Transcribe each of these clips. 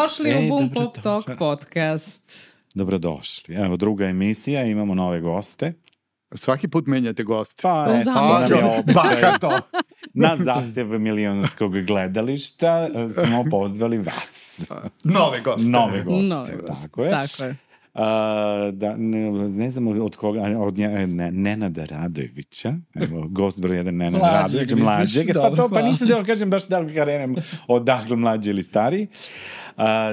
Dobrodošli u Boom Pop Talk podcast. Dobrodošli. Evo, druga emisija, imamo nove goste. Svaki put menjate goste. Pa, eto, nam je običaj. Na zahtev milionskog gledališta smo pozvali vas. Nove goste. Tako je. Ne znam od koga, od Nenada Radojevića, evo, gost broj 1 Nenada Radojević, mlađeg, pa nisam da kažem baš da li karenem odakle mlađi ili stariji.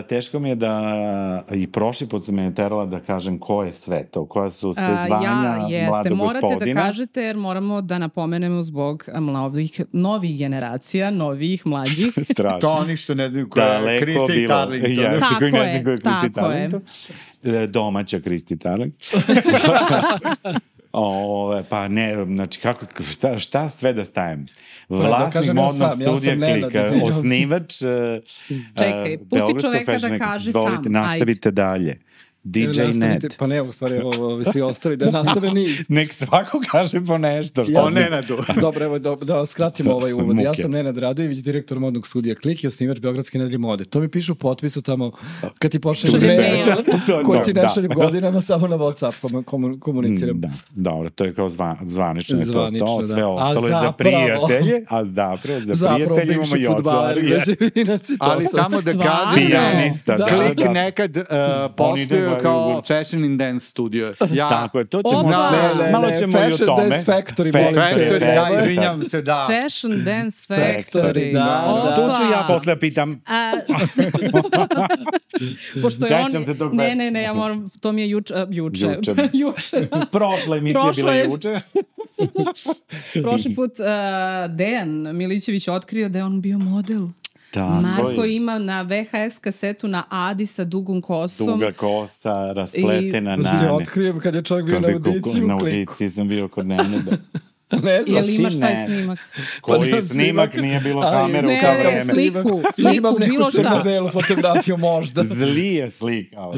Teško mi je da i prošli put me je terala da kažem ko je sve to, koja su sve zvanja mladog gospodina. Morate da kažete jer moramo da napomenemo zbog novih generacija, novih, mlađih. Strašno. To oni što ne znaju ko je Kristi Tarlington. Tako je. Domaća Kristi Tarlington. Pa ne, znači šta sve da stavim? Vlasnik modnog studija Klika, osnivač čekaj, pusti čoveka da kaže sam. Nastavite dalje. DJ Net. Pa ne, u stvari, evo, svi ostali da nastave niz. Nek svako kaže po nešto. O Nenadu. Dobro, evo, da skratimo ovaj uvod. Ja sam Nenad Radojević, direktor modnog studija Klik i osnivač Beogradske nedelje mode. To mi piše u potpisu tamo, kad ti pošaljem mail, koji ti ne šaljem godinama, samo na WhatsApp komuniciram. Da, dobro, to je kao zvanično je to. Sve ostalo je za prijatelje, a zapravo za prijatelje imamo i otvari. Ali samo da kažem, Klik nekad postoje kao Fashion and Dance studio. Tako je, to ćemo, malo ćemo i o tome. Fashion Dance Factory, da, izvinjam se, da. Fashion Dance Factory, da. Tu ću ja posle pitam. Pošto je on, ne, ja moram, to mi je juče. Prošla emisija bila juče. Prošli put Dejan Milićević otkrio da je on bio model. Marko ima na VHS kasetu na Adi sa dugom kosom. Duga kosa, raspletena nane. Se otkrijem kad je čovjek bio na audiciji u Kliku. Na audiciji sam bio kod Nenada. Ne znam. Jel imaš taj snimak? Koji snimak nije bilo kamera u kao vreme? Sliku, imam neku bilo šta. crno-belu fotografiju možda. Zli je slikao.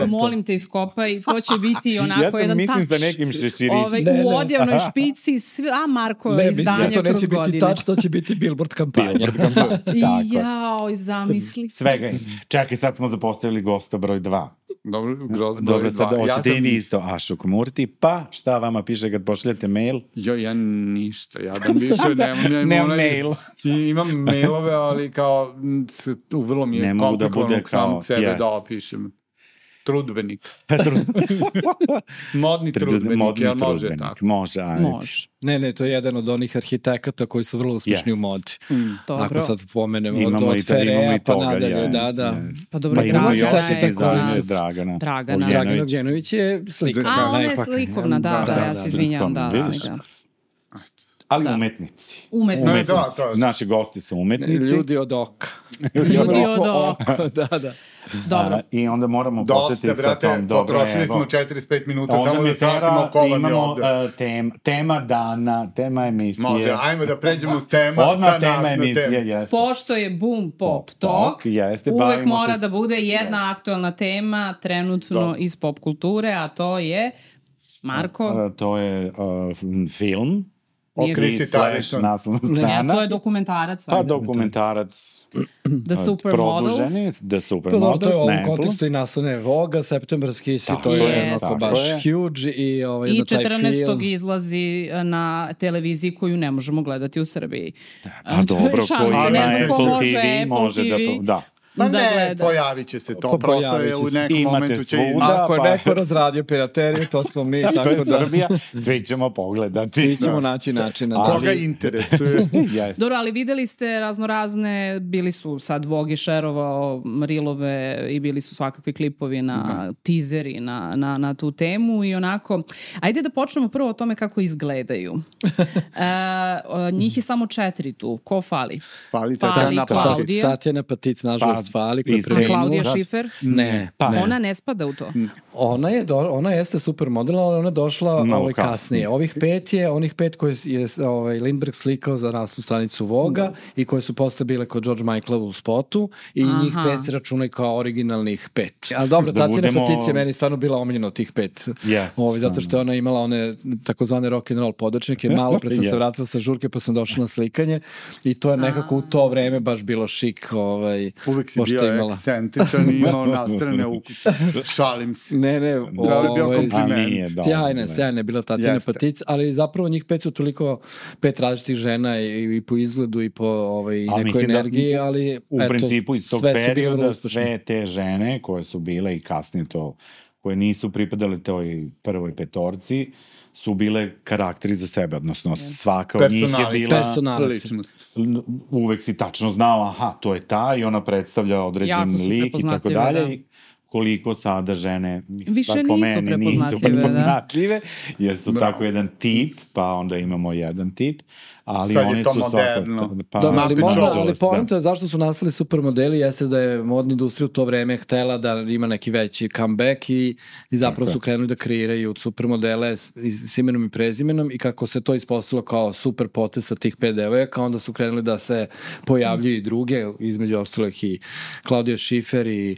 Molim te iskopaj, to će biti onako jedan tač. Ja sam mislim za nekim šeširićima. U odjavnoj špici, Marko izdanje kroz godine. To neće biti tač, to će biti billboard kampanja. Jao, zamisli. Svega. Čekaj, sad smo zapostavili gosta broj 2. Dobro, sad hoćete i vi isto Ašok Murti, pa šta vama piše kad pošaljete mail? Ja ništa, ja da više nemam mail. Imam mailove, ali kao vrlo mi je komplikovano sam sebe da opišem. Trudbenik. Modni trudbenik, jel može tako? Može. Ne, to je jedan od onih arhitekata koji su vrlo uspješni u modi. Ako sad pomenemo od Ferea pa nadalje, da. Pa dobro, Dragana Ogđenović je slikovna. A, ona je slikovna, da, ja se izvinjam, da. Ali umetnici. Naši gosti su umetnici. Ljudi od oka. Da. Dobro. I onda moramo početi sa tom. Potrošili smo 45 minuta samo da satimo ko vam je ovde. Tema dana, tema emisije. Može, ajmo da pređemo s tema. Odmah tema emisije. Pošto je Boom Pop Talk, uvek mora da bude jedna aktualna tema trenutno iz pop kulture, a to je, Marko? To je film. O Kristi Tarlington. Ne, to je dokumentarac. Pa dokumentarac The Supermodels. The Supermodels. To je u ovom kontekstu i naslovne Voga, septembarski si, to je baš huge. I 14. izlazi na televiziji koju ne možemo gledati u Srbiji. Pa dobro, koji na Apple TV može da to... Da. Ma ne, pojavit će se to, prosto je u nekom momentu će Ako je neko razradio pirateriju, to smo mi. To je Srbija, svi ćemo pogledati. Svi ćemo naći načina. Koga interesuje. Dobro, ali videli ste raznorazne, bili su sad Vogue šerovao rilove i bili su svakakvi klipovi na teaseri na tu temu i onako, ajde da počnemo prvo o tome kako izgledaju. Njih je samo 4 tu, ko fali? Fali Klaudija. Tatjana Patic, nažalost. Fali koja je preminula. Klaudija Šifer? Ne. Ona ne spada u to. Ona jeste supermodel, ali ona je došla kasnije. Onih 5 koje je Lindbergh slikao za naslovnu stranicu Voga i koje su posle bile kod George Michaela u spotu i njih 5 se računaju kao originalnih 5. Ali dobro, Tatjana Fatić je meni stvarno bila omiljena od tih 5. Zato što je ona imala one takozvane rock'n'roll podočnike. Malo pre sam se vratila sa žurke pa sam došla na slikanje i to je nekako u to vreme baš bilo šik. Uvek si bio ekscentričan i imao nastrane ukuse. Šalim se. Ne, je bio kompliment. Sjajna je bila Tatjana Fatić, ali zapravo njih 5 su toliko 5 različitih žena i po izgledu i po nekoj energiji, ali u principu iz tog perioda sve te žene koje su bile i kasnije to, koje nisu pripadale toj prvoj petorci, su bile karakteri za sebe, odnosno svaka od njih je bila personalnost. Uvek si tačno znao, aha, to je ta i ona predstavlja određen lik i tako dalje. Koliko sada žene više nisu prepoznatljive, jer su tako jedan tip, pa onda imamo jedan tip, ali sad oni je to su moderno. Ali poenta je zašto su nastali supermodeli jeste da je modna industrija u to vreme htela da ima neki veći comeback i zapravo su krenuli da kreiraju supermodele s imenom i prezimenom i kako se to ispostavilo kao super potez sa tih 5 devojaka, onda su krenuli da se pojavljuju i druge, između ostalih i Klaudija Šifer i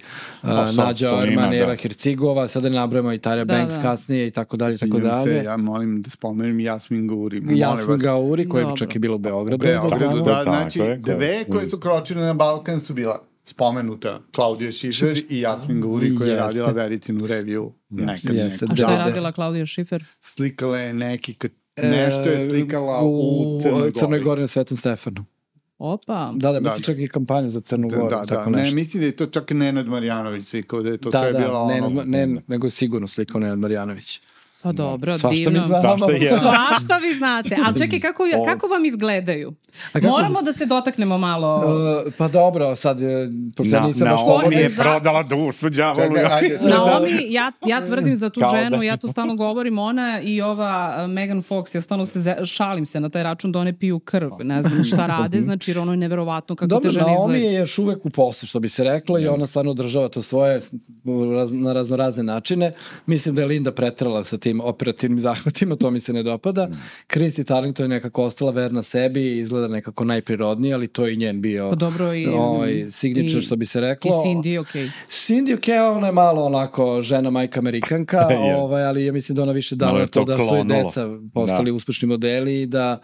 Nađa Arman, Eva Hercigova, sada ne nabrajamo i Tyra Banks kasnije i tako dalje. Ja molim da spomenem Jasmin Gauri. Jasmin Gauri, koja čak je bilo u Beogradu. Znači, dve koje su kročile na Balkan su bila spomenuta Klaudija Šifer i Jasmin Gauri koja je radila Vericinu reviju nekad. A šta je radila Klaudija Šifer? Slikala je nešto je slikala u Crnoj Gori na Svetom Stefanu. Opa. Da, mislim čak i kampanju za Crnu Goru. Ne, mislim da je to čak Nenad Marjanović slikao, da je to sve bila ono... nego je sigurno slikao Nenad Marjanović. Pa dobro, divno. Svašta vi znate. Ali čekaj, kako vam izgledaju? Moramo da se dotaknemo malo... Pa dobro, sad... Naomi je prodala dušu đavolu. Naomi, ja tvrdim za tu ženu, ja to stalno govorim, ona i ova Megan Fox, ja stalno šalim se na taj račun da one piju krv. Ne znam šta rade, znači jer ono je neverovatno kako te žene izgleda. Naomi je još uvek u poslu, što bi se reklo, i ona stvarno održava to svoje na raznorazne načine. Mislim da je Linda pretrala sa tim operativnim zahvatima, to mi se ne dopada. Christy Turlington je nekako ostala verna sebi, izgleda nekako najprirodnije, ali to je i njen bio signature, što bi se reklo. I Cindy, okej. Cindy, ona je malo onako žena majka Amerikanka, ali ja mislim da ona više dala to da su i deca postali uspešni modeli i da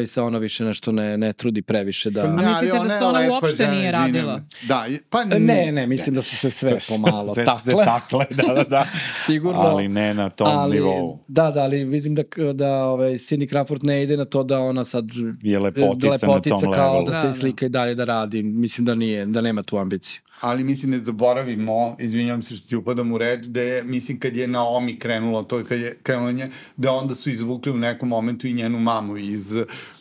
se ona više nešto ne trudi previše da... A mislite da se ona uopšte nije radila? Ne, mislim da su se sve pomalo takle. Sigurno. Ali ne na tom nivou. Da, ali vidim da Cindy Crawford ne ide na to da ona sad je lepotica kao da se slika i dalje da radi. Mislim da nema tu ambiciju. Ali mislim ne zaboravimo, izvinjam se što ti upadam u reč, da je, mislim kad je Naomi krenula, to je kad je krenula nje, da onda su izvukli u nekom momentu i njenu mamu iz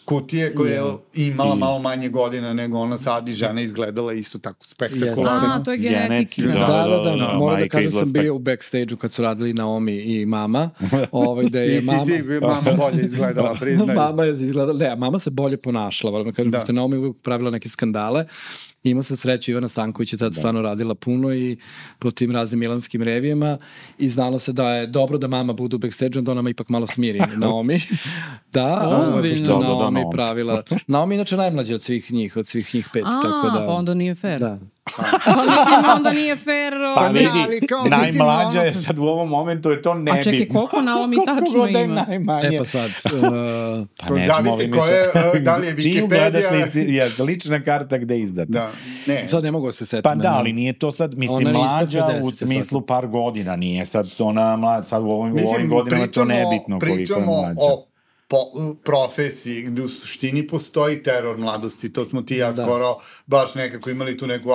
kutije koja je imala malo manje godina nego ona sad i žena izgledala isto tako spektakularno. To je genetika. Da. Moram da kažem sam bio u backstage-u kad su radili Naomi i mama. Da je mama... I ti si mama bolje izgledala, priznaj. Mama je izgledala, ne, mama se bolje ponašala, moram da kažem, pošto Naomi uvijek pravila neke skandale. Imao sam sreću, Ivana Stanković je tada stvarno radila puno i po tim raznim milanskim revijama i znalo se da je dobro da mama bude u backstage-u, da ona ipak malo smiri Naomi. Pošto Naomi pravila. Naomi inače najmlađa od svih njih 5. Pa onda nije fair. Da. Onda nije fair. Pa vidi, najmlađa je sad u ovom momentu je to nebitno. A čekaj, koliko Naomi tačno ima? Pa sad... To zavisi koje, da li je Wikipedia... lična karta gde je izdata. Sad ne mogu da se setim. Pa da, ali nije to sad, mislim, mlađa u smislu par godina, nije sad ona mlađa, sad u ovim godinama to nebitno koliko je mlađa. Profesiji gde u suštini postoji teror mladosti, to smo ti ja skoro baš nekako imali tu neku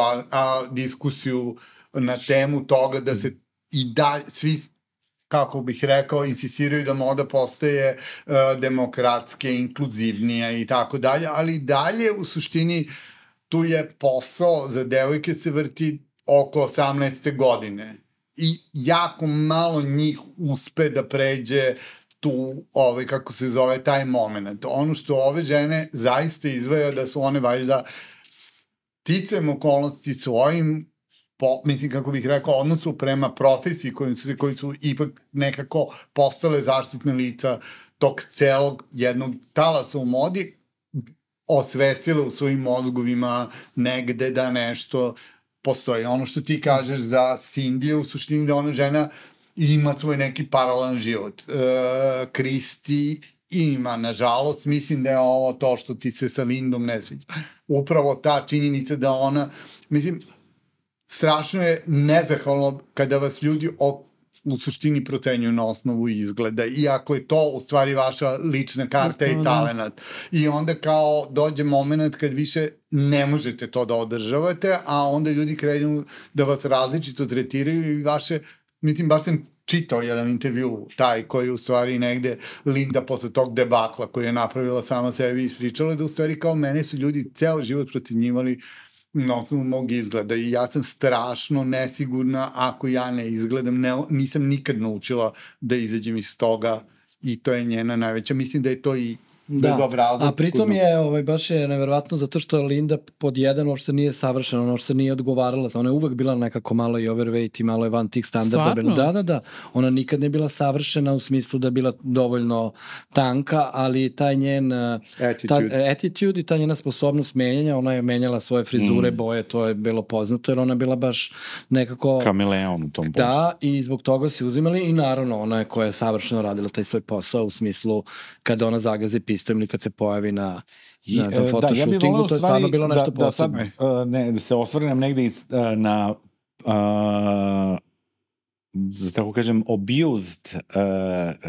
diskusiju na temu toga da se i dalje svi, kako bih rekao, insistiraju da moda postaje demokratske, inkluzivnija i tako dalje, ali dalje u suštini tu je posao za devojke se vrti oko 18. godine i jako malo njih uspe da pređe tu, kako se zove, taj moment. Ono što ove žene zaista izvaja da su one valjda sticajem okolnosti svojim, mislim, kako bih rekao, odnosu prema profesiji koji su ipak nekako postale zaštitne lica tog celog jednog talasa u modi, osvestile u svojim mozgovima negde da nešto postoji. Ono što ti kažeš za Cindy, u suštini da ona žena ima svoj neki paralelan život. Kristi ima, nažalost, mislim da je ovo to što ti se sa Lindom ne sviđa. Upravo ta činjenica da ona, mislim, strašno je nezahvalno kada vas ljudi u suštini procenjuju na osnovu izgleda, iako je to u stvari vaša lična karta i talenat. I onda kao dođe moment kad više ne možete to da održavate, a onda ljudi krenu da vas različito tretiraju i vaše, mislim, baš sam čitao jedan intervju, taj koji u stvari negde Linda posle tog debakla koji je napravila sama sebi ispričala da u stvari kao mene su ljudi ceo život procenjivali na osnovu mog izgleda i ja sam strašno nesigurna ako ja ne izgledam, nisam nikad naučila da izađem iz toga i to je njena najveća, mislim da je to i a pritom je, baš je neverovatno zato što Linda pod jedan uopšte nije savršena, ona uopšte nije odgovarala, ona je uvek bila nekako malo i overweight i malo je van tih standarda. Stvarno? Da, ona nikad ne bila savršena u smislu da je bila dovoljno tanka, ali taj njen attitude i ta njena sposobnost menjanja, ona je menjala svoje frizure, boje, to je bilo poznato, jer ona je bila baš nekako kameleon u tom poslu. Da, i zbog toga si uzimali i naravno ona je koja je savršeno radila taj svoj posao u smislu kada ona zagazi pistojem ili kad se pojavi na tom fotoshootingu, to je stvarno bilo nešto posebno. Da se osvrnem negde na da tako kažem abused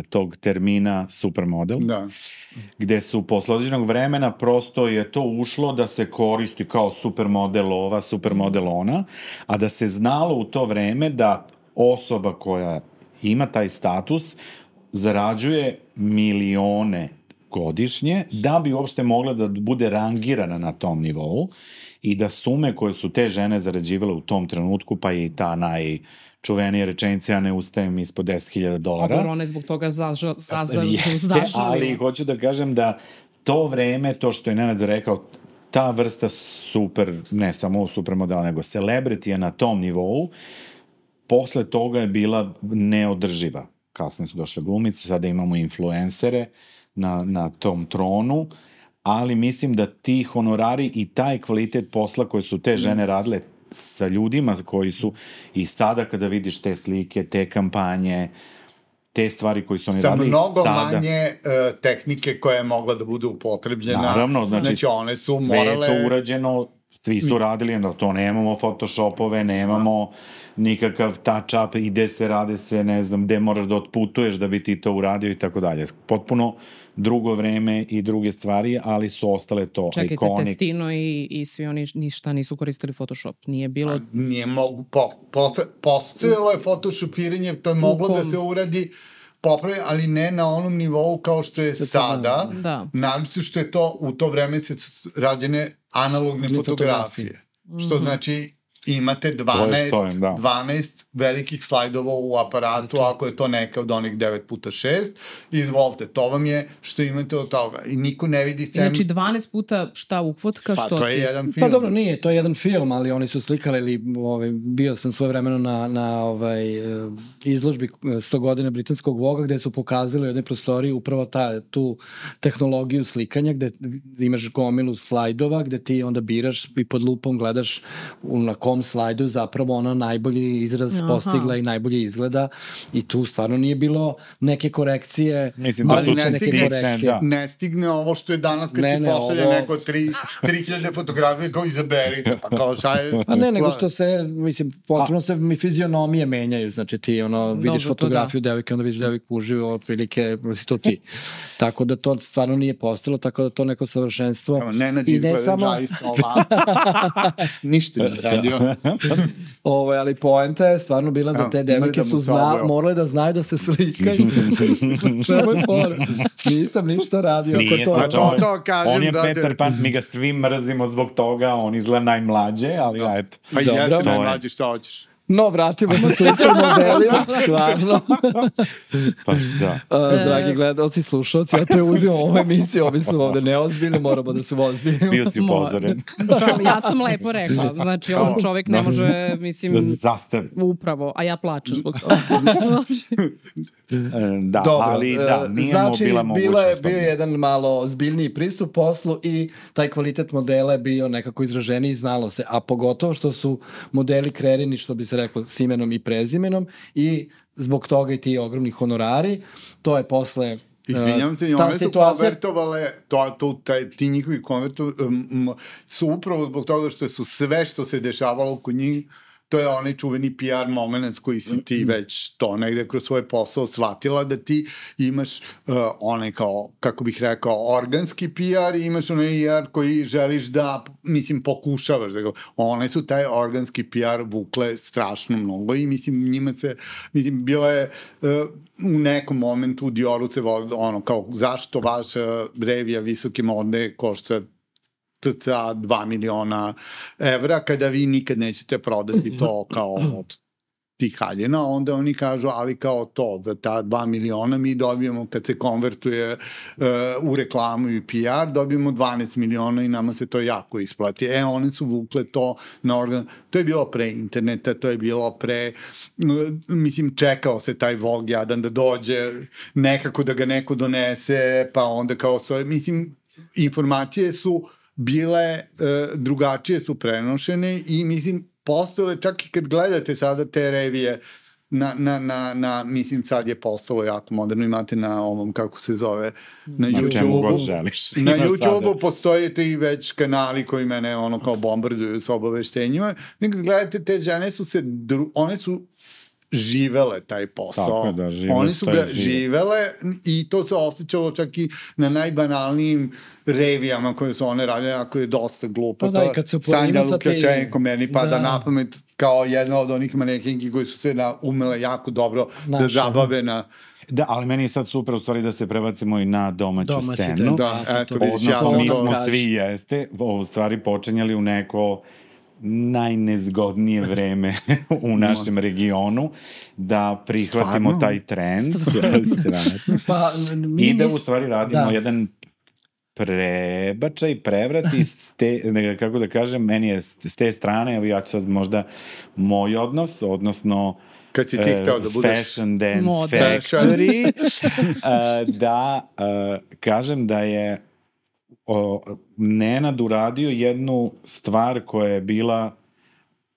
tog termina supermodel, gde su posle određenog vremena prosto je to ušlo da se koristi kao supermodel ova, supermodel ona, a da se znalo u to vreme da osoba koja ima taj status zarađuje milione godišnje, da bi uopšte mogla da bude rangirana na tom nivou i da sume koje su te žene zarađivale u tom trenutku, pa i ta najčuvenija rečenica, ja ne ustajem ispod $10,000. A dobro, ona je zbog toga zažali. Ali hoću da kažem da to vreme, to što je Nenad rekao, ta vrsta super, ne samo supermodela, nego celebrity je na tom nivou, posle toga je bila neodrživa. Kasnije su došle glumice, sada imamo influencere na tom tronu, ali mislim da ti honorari i taj kvalitet posla koje su te žene radile sa ljudima koji su i sada kada vidiš te slike, te kampanje, te stvari koji su oni radili sada. Sa mnogo manje tehnike koja je mogla da bude upotrebljena. Naravno, znači one su morale... sve je to urađeno, svi su radili, to nemamo photoshopove, nemamo nikakav touch-up, ide se, rade se, ne znam, gde moraš da otputuješ da bi ti to uradio i tako dalje. Potpuno drugo vreme i druge stvari, ali su ostale to čekajte, ikonik. Testino i svi oni ništa nisu koristili Photoshop. Nije bilo... Nije mogu, postojalo je photoshopiranje, to je moglo da se uradi popravi, ali ne na onom nivou kao što je sada. Naravno što je to u to vreme se rađene analogne fotografije. Što znači imate 12 velikih slajdova u aparatu, ako je to neka od onih 9x6, izvolite, to vam je što imate od toga. I niko ne vidi sem... Znači 12 puta šta ukvotka, što ti... Pa to je jedan film. Pa dobro, nije, to je jedan film, ali oni su slikali, ili bio sam svoje vremeno na izložbi 100 godina britanskog Voga, gde su pokazali u jednoj prostoriji upravo tu tehnologiju slikanja, gde imaš gomilu slajdova, gde ti onda biraš i pod lupom gledaš na kom slajdu zapravo ona najbolji izraz postigla i najbolje izgleda i tu stvarno nije bilo neke korekcije. Mislim da su ne stigne ovo što je danas kad ti pošalje neko 3000 fotografije kao izaberite, pa kao šta je... A ne, nego što se, mislim, potpuno se mi fizionomije menjaju, znači ti vidiš fotografiju devojke, onda vidiš devojku uživo, otprilike, si to ti. Tako da to stvarno nije postalo, tako da to neko savršenstvo. Nenad izgleda zaista ovako. Ništa nije radio. Ali poenta je stvarno bila da te devojke su morale da znaju da se slikaju. Čemu je fora? Nisam ništa radio. Nije to kažem. On je Peter Pan, mi ga svi mrzimo zbog toga, on izgleda najmlađe, ali eto. Pa jeste najmlađe, šta hoćeš? No, vratimo se super modelima, stvarno. Pa šta? Dragi gledalci, slušalci, ja preuzimam ovu emisiju, ovi su ovde neozbiljni, moramo da se ozbiljimo. Bio si upozoren. Ja sam lepo rekla, znači on čovjek ne može, mislim, da zastavi. Upravo, a ja plačem zbog toga. Da, dobro, ali da, nije znači, bila mogućnost. Bio jedan malo zbiljniji pristup poslu i taj kvalitet modela je bio nekako izraženiji i znalo se, a pogotovo što su modeli kreirani, što bi se reklo, s imenom i prezimenom i zbog toga i ti ogromni honorari, to je posle izvinjam se, one su konvertovale, ti njihovi su upravo zbog toga što su sve što se dešavalo oko njih, to je onaj čuveni PR moment koji si ti već to negde kroz svoj posao shvatila da ti imaš onaj kao, kako bih rekao, organski PR i imaš onaj PR koji želiš da, mislim, pokušavaš. One su taj organski PR vukle strašno mnogo i mislim, njima se, mislim, bila je u nekom momentu u Dioru se ono kao, zašto vaša revija visoke mode košta cca 2 miliona evra, kada vi nikad nećete prodati to kao od tih haljena, onda oni kažu, ali kao to, za ta 2 miliona mi dobijemo, kad se konvertuje u reklamu i PR, dobijemo 12 miliona i nama se to jako isplati. One su vukle to na organ. To je bilo pre interneta, to je bilo pre, mislim, čekao se taj Vogue jadan da dođe, nekako da ga neko donese, pa onda kao svoje, mislim, informacije su bile drugačije su prenošene i mislim postojale čak i kad gledate sada te revije mislim sad je postalo jako moderno, imate na ovom kako se zove na YouTube-u na YouTube-u postoje i već kanali koji mene ono kao bombarduju s obaveštenjima, nekad gledate te žene one su živele taj posao. Da, oni su ga živele i to se osjećalo čak i na najbanalnijim revijama koje su one radile, ako je dosta glupo. Pa da, i kad se Sanja Lukačenko meni pada na pamet kao jedna od onih manekinki koji su se umele jako dobro da zabave na... Da, ali meni je sad super u stvari da se prebacimo i na domaću scenu. Da, eto, odnosno, mi smo svi u stvari počinjali u neko najnezgodnije vreme u našem regionu da prihvatimo taj trend i da u stvari radimo jedan prebačaj, prevrat kako da kažem, meni je s te strane, evo ja ću sad možda moj odnos, odnosno kad si ti hteo da budeš Fashion Dance Factory da kažem da je Nenad uradio jednu stvar koja je bila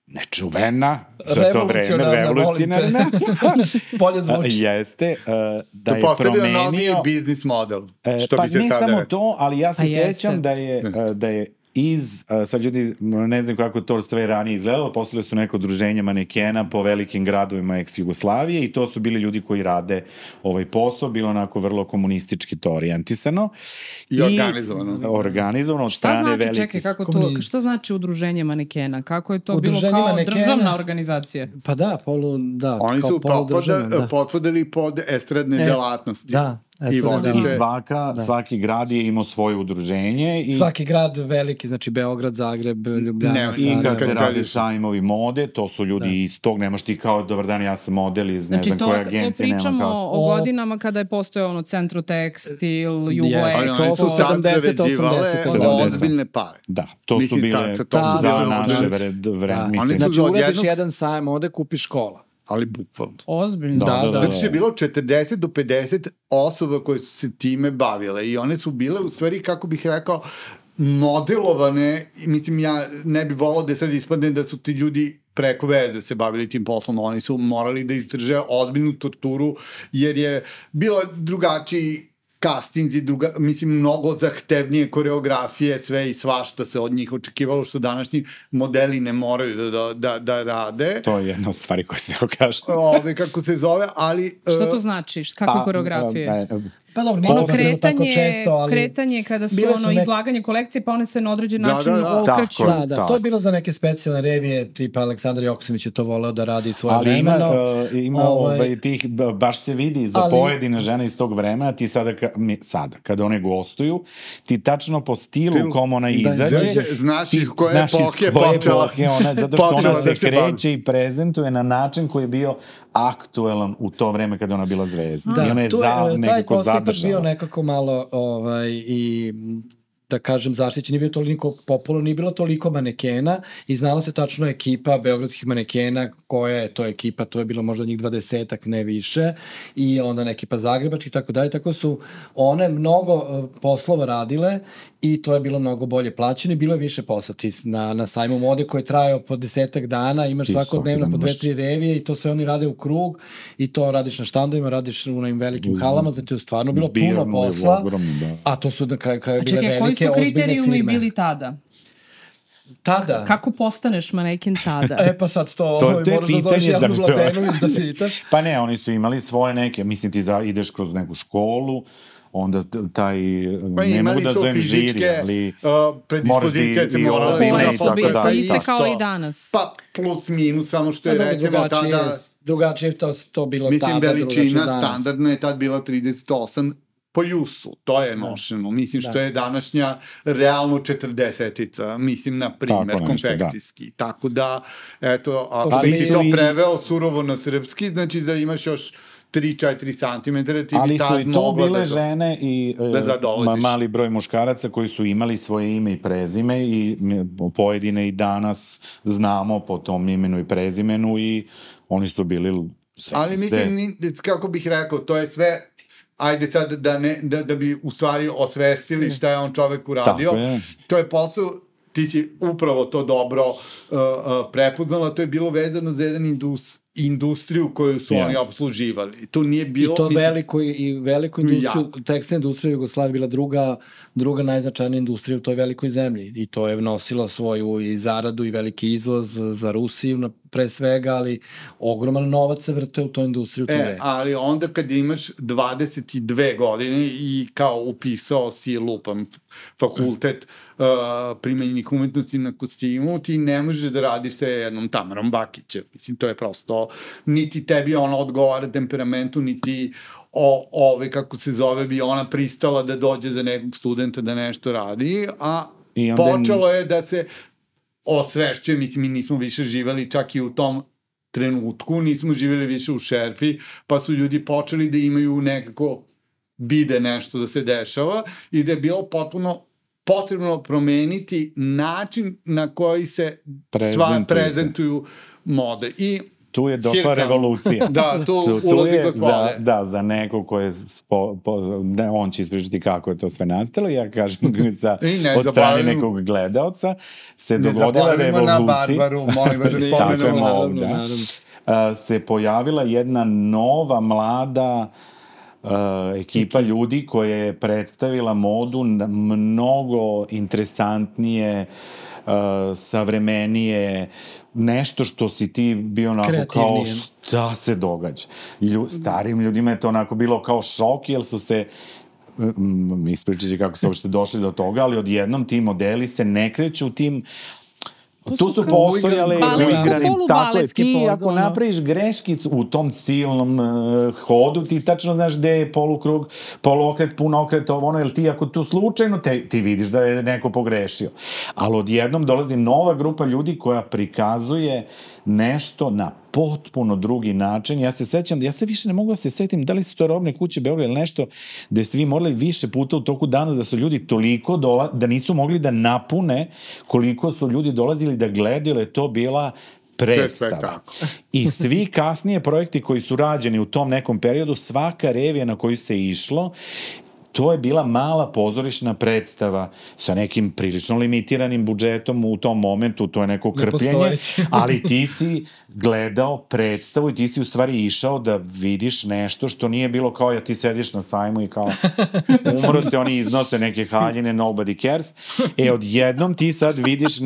nečuvena za to vreme, revolucionarna. Bolje zvuči. Jeste, da je promenio... To noviji biznis model, što bi se sada... Pa ne samo to, ali ja se sjećam da je sad ljudi ne znam kako to sve ranije izgledalo, postavili su neko udruženje manekena po velikim gradovima ex-Jugoslavije i to su bili ljudi koji rade ovaj posao, bilo onako vrlo komunistički to orijentisano. I organizovano. Organizovano od strane velikih... Šta znači, čekaj, kako to, šta znači udruženje manekena? Kako je to bilo kao državna organizacija? Pa da, oni su potpadali pod estradne delatnosti. Da. I svaki grad je imao svoje udruženje. Svaki grad veliki, znači Beograd, Zagreb, Ljubljana, Sarajevo. I kad se radi sajmovi mode, to su ljudi iz tog, nemaš ti kao dobar dan, ja sam model iz ne znam koje agencije. Znači to pričamo o godinama kada je postojao Centro Tekstil, Jugo-Ex. To su 70-80 ozbiljne pare. Da, to su bile za naše vreme. Znači uradiš jedan sajam, ovde kupiš škola. Ali bukvalno. Ozbiljno. Zato što je bilo 40 do 50 osoba koje su se time bavile i one su bile u stvari, kako bih rekao, modelovane, mislim ja ne bi volao da sad ispadne da su ti ljudi preko veze se bavili tim poslom, oni su morali da izdrže ozbiljnu torturu jer je bila drugačiji castinzi, mislim, mnogo zahtevnije koreografije, sve i svašta se od njih očekivalo, što današnji modeli ne moraju da rade. To je jedna od stvari koje se kaže. Kako se zove, ali... Šta to znači? Kakve koreografije? Pa dobro, nije tako često, ali... Kretanje kada su izlaganje kolekcije, pa one se na određen način okreću. Da, to je bilo za neke specijalne revije, tipa Aleksandar Joksimović je to voleo da radi svoje vremeno. Ali ima tih, baš se vidi za pojedine žene iz tog vremena, ti sada, kada one gostuju, ti tačno po stilu kom ona izađe, znaš iz koje epohe počela. Zato što ona se kreće i prezentuje na način koji je bio aktuelan u to vreme kada ona bila zvezda. Da, i ona je nekako zadržala. Taj posle bio nekako malo i da kažem zaštićen, nije bio toliko popularno, nije bilo toliko manekena i znala se tačno ekipa beogradskih manekena, koja je to ekipa, to je bilo možda njih 20-ak, ne više, i onda ekipa zagrebački i tako dalje, tako su one mnogo poslova radile i to je bilo mnogo bolje plaćeno i bilo je više posla. Ti na sajmu mode koji je trajao po 10 dana, imaš svakodnevno po 2-3 revije i to sve oni rade u krug i to radiš na štandovima, radiš u onim velikim halama, zato je stvarno bilo puno posla, a to su na kraju bile velike, su kriterijumi bili tada? Tada? Kako postaneš maneken tada? Pa sad to moraš da zoveš Jelenu Zlatenović da pitaš. Pa ne, oni su imali svoje neke, mislim ti ideš kroz neku školu, onda taj, ne mogu da zovem žiri, ali predispozicije se morala da iste kao i danas. Pa plus minus, samo što je recimo tada... Drugačije to bilo tada. Mislim, veličina standardna je tad bila 38 po jusu, to je nošeno. Mislim što je današnja realno 40-ica, mislim na primer konfekcijski. Tako da, eto, ako bi ti to preveo surovo na srpski, znači da imaš još 3-4 cm, ti bi tad mogla da... Ali su i to bile žene i mali broj muškaraca koji su imali svoje ime i prezime i pojedine i danas znamo po tom imenu i prezimenu i oni su bili sve. Ali mislim, kako bih rekao, to je sve... Ajde sad da bi u stvari osvestili šta je on čovek uradio. To je posao, ti si upravo to dobro prepoznala, to je bilo vezano za jedan industriju koju su oni obsluživali. To nije bilo... I to veliku industriju, tekstilna industrija Jugoslavije bila druga najznačajnija industrija u toj velikoj zemlji. I to je nosilo svoju i zaradu i veliki izvoz za Rusiju pre svega, ali ogroman novac se vrte u toj industriji u to vreme. Ali onda kad imaš 22 godine i kao upisao si lupam fakultet primenjenih umetnosti na kostimu, ti ne možeš da radiš sa jednom Tamarom Bakićem. Mislim, to je prosto, niti tebi ona odgovara temperamentu, niti kako se zove, bi ona pristala da dođe za nekog studenta da nešto radi, a počelo je da se osvešćuje, mislim, mi nismo više živeli čak i u tom trenutku, nismo živeli više u šerpi, pa su ljudi počeli da imaju nekako vide nešto da se dešava i da je bilo potpuno potrebno promeniti način na koji se prezentuju mode. I tu je došla revolucija. Da, tu ulazi gospode. Da, za neko ko je, on će ispričati kako je to sve nastalo, ja kažem od strane nekog gledaoca, se dogodila revolucija. Ne zaboravimo na Barbaru, molim da spomenemo. Se pojavila jedna nova, mlada ekipa ljudi koja je predstavila modu mnogo interesantnije, savremenije, nešto što si ti bio onako kao šta se događa. Starim ljudima je to onako bilo kao šok, jer su se ispričati kako su uopšte došli do toga, ali odjednom ti modeli se ne kreću tim. Tu su postojale uigrani, tako je, ti ako napraviš greškicu u tom stilnom hodu, ti tačno znaš gde je polukrug, poluokret, punokret, jer ti ako tu slučajno, ti vidiš da je neko pogrešio. Ali odjednom dolazi nova grupa ljudi koja prikazuje nešto na potpuno drugi način. Ja se sećam, ja se više ne mogu da se setim da li su to Robne kuće Beograd ili nešto, gde ste vi morali više puta u toku dana da su ljudi toliko da nisu mogli da napune koliko su ljudi dolazili da gledaju, jer je to bila predstava. I svi kasnije projekti koji su rađeni u tom nekom periodu, svaka revija na koju se išlo, to je bila mala pozorišna predstava sa nekim prilično limitiranim budžetom u tom momentu, to je neko krpljenje, ali ti si gledao predstavu i ti si u stvari išao da vidiš nešto što nije bilo kao ja ti sediš na sajmu i kao umro se, oni iznose neke haljine, nobody cares. Odjednom ti sad vidiš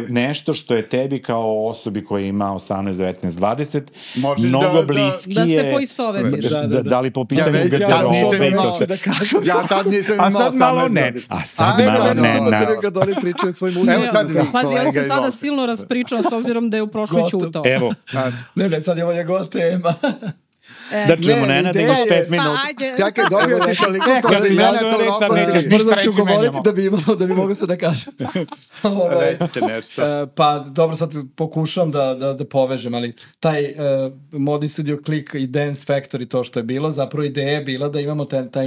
nešto što je tebi kao osobi koja ima 18, 19, 20, mnogo bliskije. Da se poistovetiš. Da li po pitanju garderobe i to se... Ja tad nisam imao 18 godina. A sad malo ne. Kad oni pričaju svoj muziku. Pazi, on se sada silno raspričao s obzirom da je u prošloj ćutao. Evo. Ne, sad je ovo njegova tema. Da čujemo Nenada još 5 minuta. Čekaj, dobio ti toliko kod i mene to naplati. Brzo ću govoriti da bi mogo sve da kažem. Recite nešto. Pa dobro, sad pokušavam da povežem, ali taj modni studio Klik i Dance Factory, to što je bilo, zapravo ideja je bila da imamo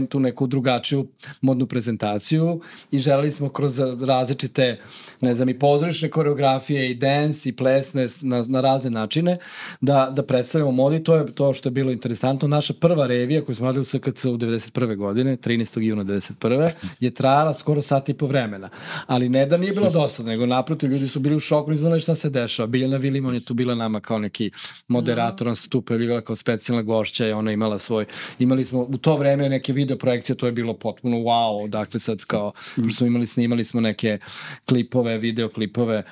tu neku drugačiju modnu prezentaciju i želeli smo kroz različite, ne znam, i pozorišne koreografije i dance i plesne na razne načine da predstavljamo modi. To je to što je bilo interesantno. Naša prva revija koju smo radili u SKC u 91. godine, 13. juna 91. je trajala skoro sat i po vremena. Ali ne da nije bilo dosadno, nego naprotiv, ljudi su bili u šoku, ne znali šta se dešava. Biljana Vilimon je tu bila nama kao neki moderator, on se tu pojavila kao specijalna gošća i ona imala imali smo u to vreme neke video projekcije, to je bilo potpuno wow, dakle sad kao, snimali smo neke klipove, videoklipove.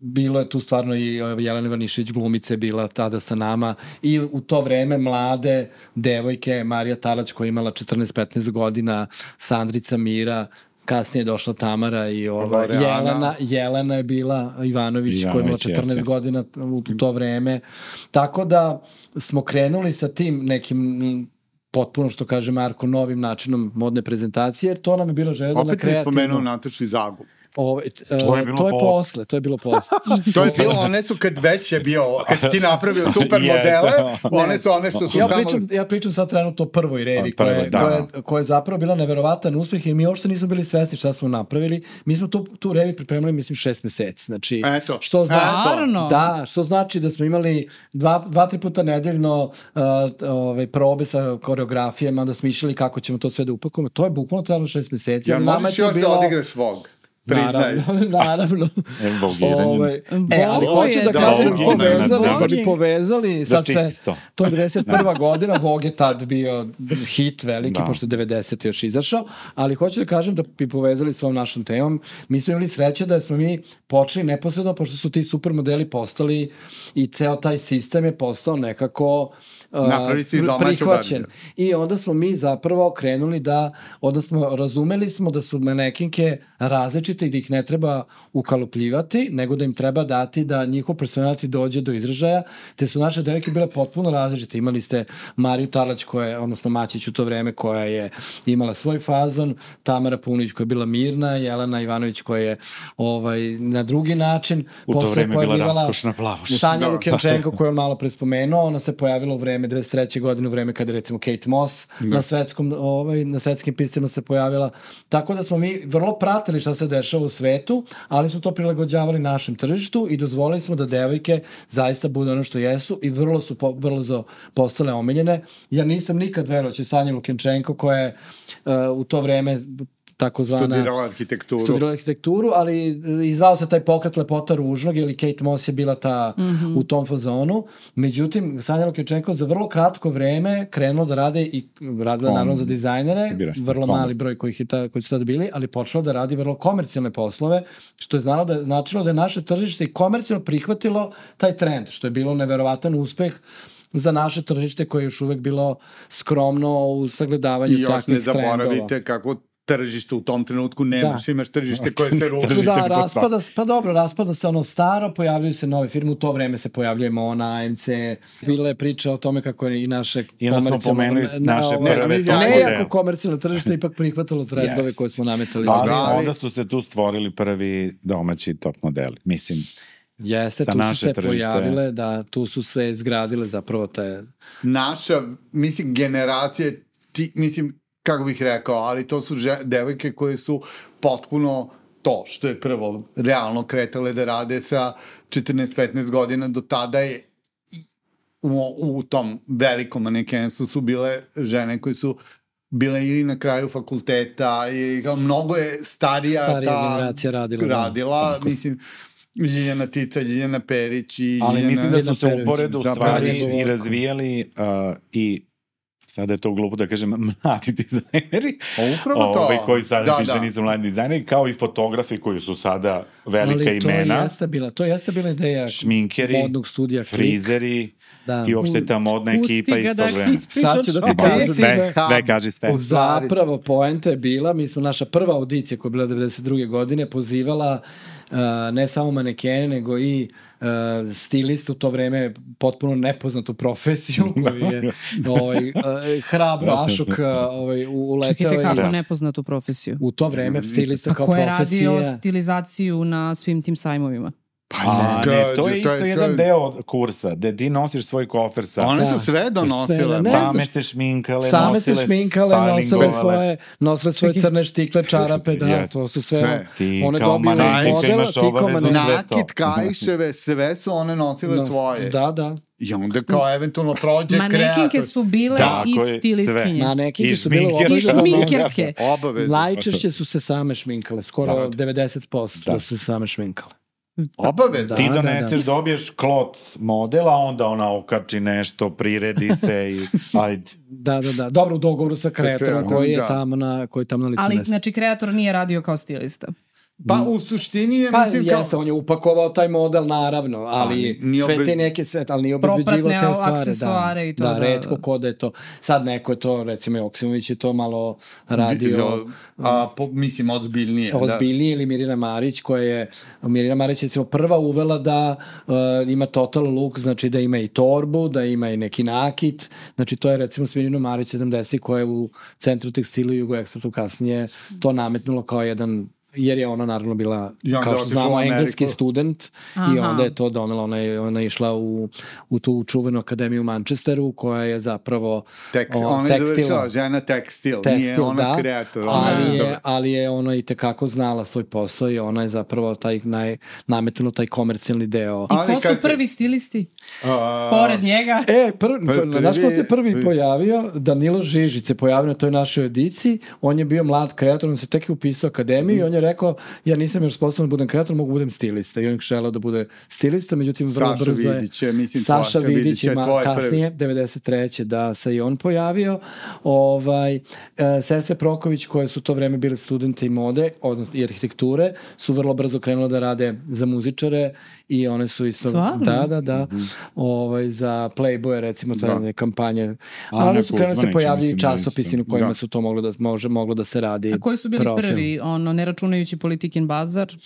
Bilo je tu stvarno i Jelena Ivanišević glumice bila tada sa nama i u to vreme mlade devojke, Marija Talać koja je imala 14-15 godina, Sandrica Mira, kasnije je došla Tamara i Jelena je bila Ivanović koja je imala 14 godina u to vreme. Tako da smo krenuli sa tim nekim potpuno, što kaže Marko, novim načinom modne prezentacije, jer to nam je bilo želja na kreativno. Opet je spomenuo Natašu i Zagu. To je bilo posle. To je bilo, one su kad već je bio, kad ti napravio super modele, one su one što su Ja pričam sad trenutno o prvoj revi, koja je zapravo bila neverovatan uspeh i mi uopšte nismo bili svesni šta smo napravili. Mi smo tu revi pripremili, mislim, 6 meseci. Znači, što znači da smo imali 2-3 puta nedeljno probe sa koreografijama, da smo išli kako ćemo to sve da upakujemo. To je bukvalno trebalo 6 meseci. Ja možeš još da odigraš Vogue? Naravno. Ali hoću da kažem da bi povezali, sad to je 91. godina, Vogue je tad bio hit veliki, pošto je 90. još izašao, ali hoću da kažem da bi povezali s ovom našom temom. Mi smo imali sreće da smo mi počeli neposredno, pošto su ti supermodeli postali i ceo taj sistem je postao nekako prihvaćen. I onda smo mi zapravo krenuli odnosno razumeli smo da su manekinke različite i da ih ne treba ukalupljivati, nego da im treba dati da njihov personality dođe do izražaja, te su naše devojke bile potpuno različite. Imali ste Mariju Talać, odnosno Maćić u to vreme, koja je imala svoj fazon, Tamara Paunović koja je bila mirna, Jelena Ivanović koja je na drugi način. U to vreme bila raskošna plavoš. Sanja Lukenčenko koju je malo prespomenuo, ona se pojavila u vreme 23. godine, u vreme kada recimo Kate Moss na svetskim pistima se pojavila. Tako da smo mi vrlo pratili šta se dešava u svetu, ali smo to prilagođavali našem tržištu i dozvolili smo da devojke zaista budu ono što jesu i vrlo su brzo postale omiljene. Ja nisam nikad verovao će Sanja Lukenčenko koja je u to vreme studirala arhitekturu, ali izvao se taj pokret lepota ružnog, ili Kate Moss je bila ta u tom fazonu. Međutim, Sanja Lukenčenko za vrlo kratko vreme krenulo da rade i radila naravno za dizajnere, vrlo mali broj koji su tada bili, ali počela da radi vrlo komercijalne poslove, što je značilo da je naše tržište i komercijalno prihvatilo taj trend, što je bilo neverovatan uspeh za naše tržište koje je još uvek bilo skromno u sagledavanju takvih trendova. I još ne zaboravite kako tržište u tom trenutku nemaš, imaš tržište koje se ruši. Raspada se ono staro, pojavljaju se nove firme, u to vreme se pojavljuje Mona, AMC, bila je priča o tome kako je i naše komercijalno tržište ipak prihvatalo trendove koje smo nametali. Ali onda su se tu stvorili prvi domaći top modeli, mislim. Jeste, tu su se pojavile, tu su se izgradile zapravo te... Naša, mislim, generacije, kako bih rekao, ali to su devojke koje su potpuno to što je prvo realno kretale da rade sa 14-15 godina, do tada je u tom velikom manekenstvu su bile žene koje su bila ili na kraju fakulteta i kao mnogo je starija generacija radila mislim, Ljiljana Tica, Ljiljana Perić i ali Ljiljana... mislim da su se uporedo u stvari i razvijali i sada je to glupo da kažem mladi dizajneri koji sada više nisu mladi dizajneri, kao i fotografi koji su sada velika imena. Ali to jeste bila ideja šminkeri, modnog studija Klik. Frizeri i uopšte ta modna ekipa isto vreme. Sad ću da ti kažem sve kaži sve. Zapravo poenta je bila, mi smo naša prva audicija koja je bila 92. godine pozivala ne samo manekene, nego i stilist u to vreme potpuno nepoznatu profesiju koji je hrabro Ašuk uletao. Čekajte kako nepoznatu profesiju? U to vreme stilista kao profesija. A ko je radio stilizaciju na svim tim sajmovima? To je isto jedan deo kursa, da ti nosiš svoj kofer sa... One su sve donosile. Same se šminkale, nosile svoje crne štikle, čarape, to su sve... One dobile model, nakit, kajševe, sve su one nosile svoje. Da. I onda kao eventualno prođe kreator. Manekinke su bile i stilistkinje. Manekinke su bile i šminkerke. Najčešće su se same šminkale, skoro 90% da su se same šminkale. Obavezno. Ti doneseš, dobiješ klot modela, onda ona okači nešto, priredi se i ajde. Da. Dobro, u dogovoru sa kreatorom koji je tamo na licu mesta. Ali, znači, kreator nije radio kao stilista. Pa u suštini je, mislim kao... Jeste, on je upakovao taj model, naravno, ali sve te neke, ali nije obezbeđivao te stvari. Propratne aksesuare i to. Da, retko ko da je to. Sad neko je to, recimo Joksimović je to malo radio... mislim, ozbiljnije. Ozbiljnije ili Mirjana Marić, koja je... Mirjana Marić je, recimo, prva uvela da ima total look, znači da ima i torbu, da ima i neki nakit. Znači, to je, recimo, Mirjana Marić 70. koja je u Centru tekstilu i Jugoekspertu kasnije to nametnulo kao jedan... jer je ona naravno bila, kao što znamo, engleski student i onda je to donela, ona je išla u tu čuvenu akademiju u Manchesteru koja je zapravo ona je završila žena tekstil, nije ona kreator. Ali je ona i tekako znala svoj posao i ona je zapravo nametila taj komercijalni deo. I ko su prvi stilisti? Pored njega? Znaš ko se prvi pojavio? Danilo Žižić se pojavio na toj našoj edici, on je bio mlad kreator, on se tek upisao akademiju i on je rekao, ja nisam još sposoban da budem kreator, mogu budem stilista. I on je želeo da bude stilista, međutim vrlo brzo je... Saša Vidić je kasnije, 93. da se i on pojavio. Sese Proković, koje su to vreme bile studente i mode, odnosno i arhitekture, su vrlo brzo krenule da rade za muzičare i one su isto... Stvarno? Da. Za Playboy, recimo, to je kampanje. Ali one su krenule da se pojavljaju časopisi u kojima su to moglo da se radi. A koji su bili prvi? Ne računajući Politikin bazar?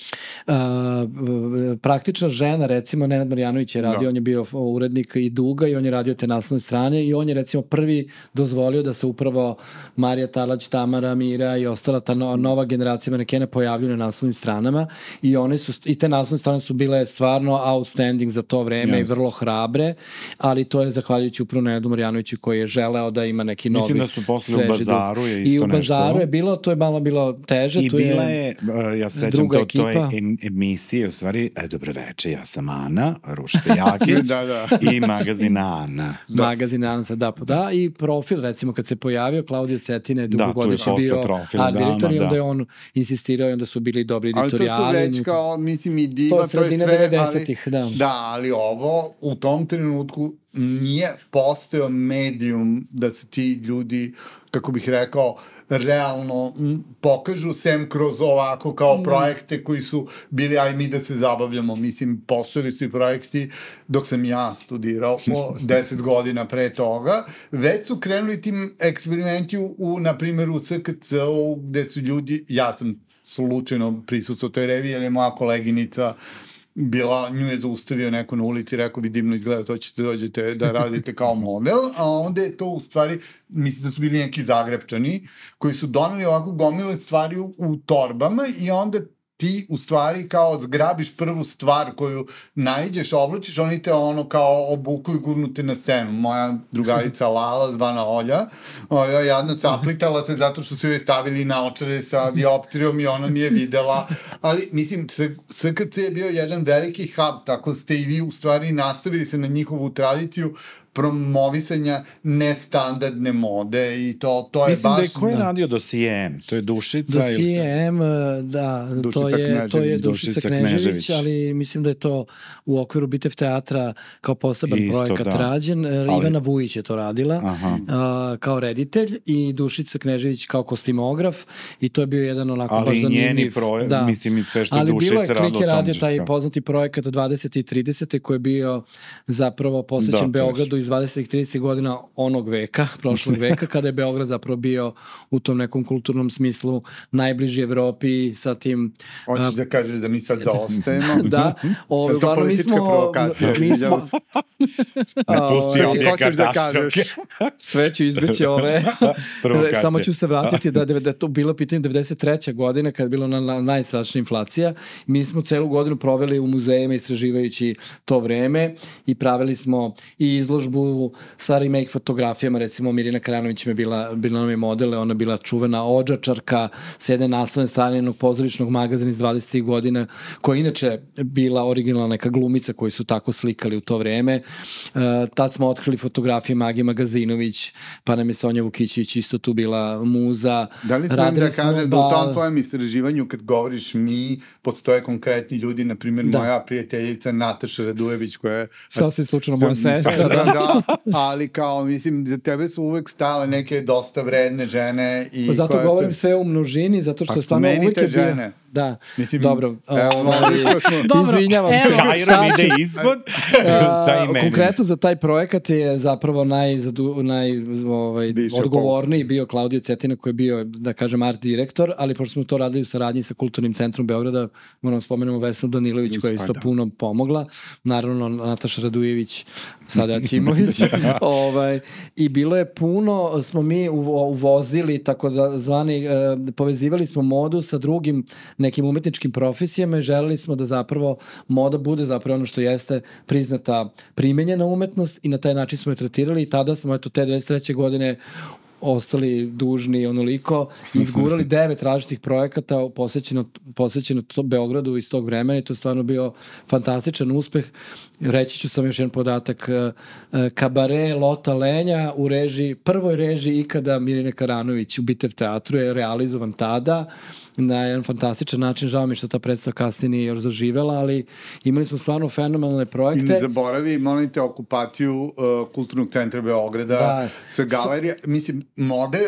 Praktična žena, recimo, Nenad Marjanović je radio, on je bio urednik i Duga i on je radio te naslovne strane i on je, recimo, prvi dozvolio da se upravo Marija Tarlać, Tamara, Mira i ostala ta nova generacija manekena pojavljuju na naslovnim stranama i te naslovne strane su bile stvarno outstanding za to vreme i vrlo hrabre, ali to je zahvaljujući upravo Nenadu Marjanoviću koji je želeo da ima neki novi sveži duh. Mislim da su posle u Bazaru je isto nešto. I u Bazaru je bilo, to je malo bilo teže. I bila je, ja sećam to je emisije, u stvari, dobro večer, ja sam Ana Ruška Jakić i magazin Ana. Magazin Ana se da, i Profil, recimo, kad se pojavio, Klaudio Cetina je dugogodišnji bio art direktor i onda je on insistirao i onda su bili dobri editorijali. Ali to su već kao, mislim, i diva, to je sve, 90-ih, ali ovo u tom trenutku nije postao medijum da se ti ljudi, kako bih rekao, realno pokažu sem kroz ovako kao projekte koji su bili aj mi da se zabavljamo. Mislim, postojali su i projekti dok sam ja studirao 10 godina pre toga. Već su krenuli tim eksperimenti na primjer, u SKC-u gde su ljudi, ja sam slučajno prisustvo toj reviji, jer je moja koleginica bila, nju je zaustavio neko na ulici i rekao, vi divno izgleda, to ćete dođete da radite kao model, a onda je to u stvari, mislim da su bili neki Zagrebčani, koji su doneli ovako gomile stvari u torbama i onda ti u stvari kao zgrabiš prvu stvar koju naiđeš, oblačiš, oni te ono kao obuku i gurnute na scenu. Moja drugarica Lala, zvana Olja, jadno saplitala se zato što su joj stavili naočare sa dioptrijom i ona nije videla. Ali, mislim, SKC je bio jedan veliki hub, tako ste i vi u stvari nastavili se na njihovu tradiciju, promovisanja nestandardne mode i to je mislim baš... Mislim da je ko je radio dosijem? To je Dušica? Dosijem, da, to je Dušica Knežević, ali mislim da je to u okviru Bitev teatra kao poseban projekat rađen. Ivana Vujić je to radila kao reditelj i Dušica Knežević kao kostimograf i to je bio jedan onako baš zanimljiv. Ali njeni projekt, mislim i sve što je Dušica radila. Ali bilo je, Klik je radio taj poznati projekat 20. i 30. koji je bio zapravo posvećen Beogradu iz 20. i 30. godina onog veka, prošlog veka, kada je Beograd zapravo bio u tom nekom kulturnom smislu najbliži Evropi sa tim... Hoćeš da kažeš da mi sad zaostajemo? Da. Je to politička provokacija? Ne pusti ovdje Kardashianke. Sve ću izbeći ove. Samo ću se vratiti da je to bilo pitanje 93. godine kada je bilo najstrašnija inflacija. Mi smo celu godinu proveli u muzejima istraživajući to vreme i pravili smo i izložbu sa remake fotografijama, recimo Mirjana Karanović je bila nam je modele, ona bila čuvena odžačarka s jedne naslovne strane jednog pozorišnog magazina iz 20. godina, koja je inače bila originalna neka glumica koji su tako slikali u to vreme. Tad smo otkrili fotografije Magije Magazinović, pa nam je Sonja Vukićević isto tu bila muza. Da li smem da kažem da u tom tvojem istraživanju kad govoriš mi, postoje konkretni ljudi, na primjer moja prijateljica Nataša Radujević koja je... Sasvim slučajno moja sestra. Da, ali kao, mislim, za tebe su uvek stale neke dosta vredne žene. Pa zato govorim sve u množini, zato što stvarno uvijek je bio... Da, mislim, dobro. Izvinjavam se. Kajrom ide ispod sa imenim. Konkretno za taj projekat je zapravo odgovorniji bio Klaudio Cetina koji je bio, da kažem, art direktor, ali pošto smo to radili u saradnji sa Kulturnim centrom Beograda, moramo spomenemo Vesnu Danilović koja je isto puno pomogla. Naravno, Nataša Radujević, sada Ćimović. I bilo je puno, smo mi uvozili, tako da zvani, povezivali smo modu sa drugim nekim umetničkim profesijama i želeli smo da zapravo moda bude zapravo ono što jeste priznata primenjena umetnost i na taj način smo je tretirali i tada smo te 23. godine ostali dužni onoliko, izgurali 9 različitih projekata posvećeno Beogradu iz tog vremena i to je stvarno bio fantastičan uspeh. Reći ću sam još jedan podatak. Kabare Lota Lenja u prvoj režiji ikada Mirjane Karanović u Bitev teatru je realizovan tada na jedan fantastičan način. Žao mi što ta predstava kasnije nije još zaživela, ali imali smo stvarno fenomenalne projekte. I ne zaboravi, molim te, okupaciju Kulturnog centra Beograda sa galerija. Mislim, mode,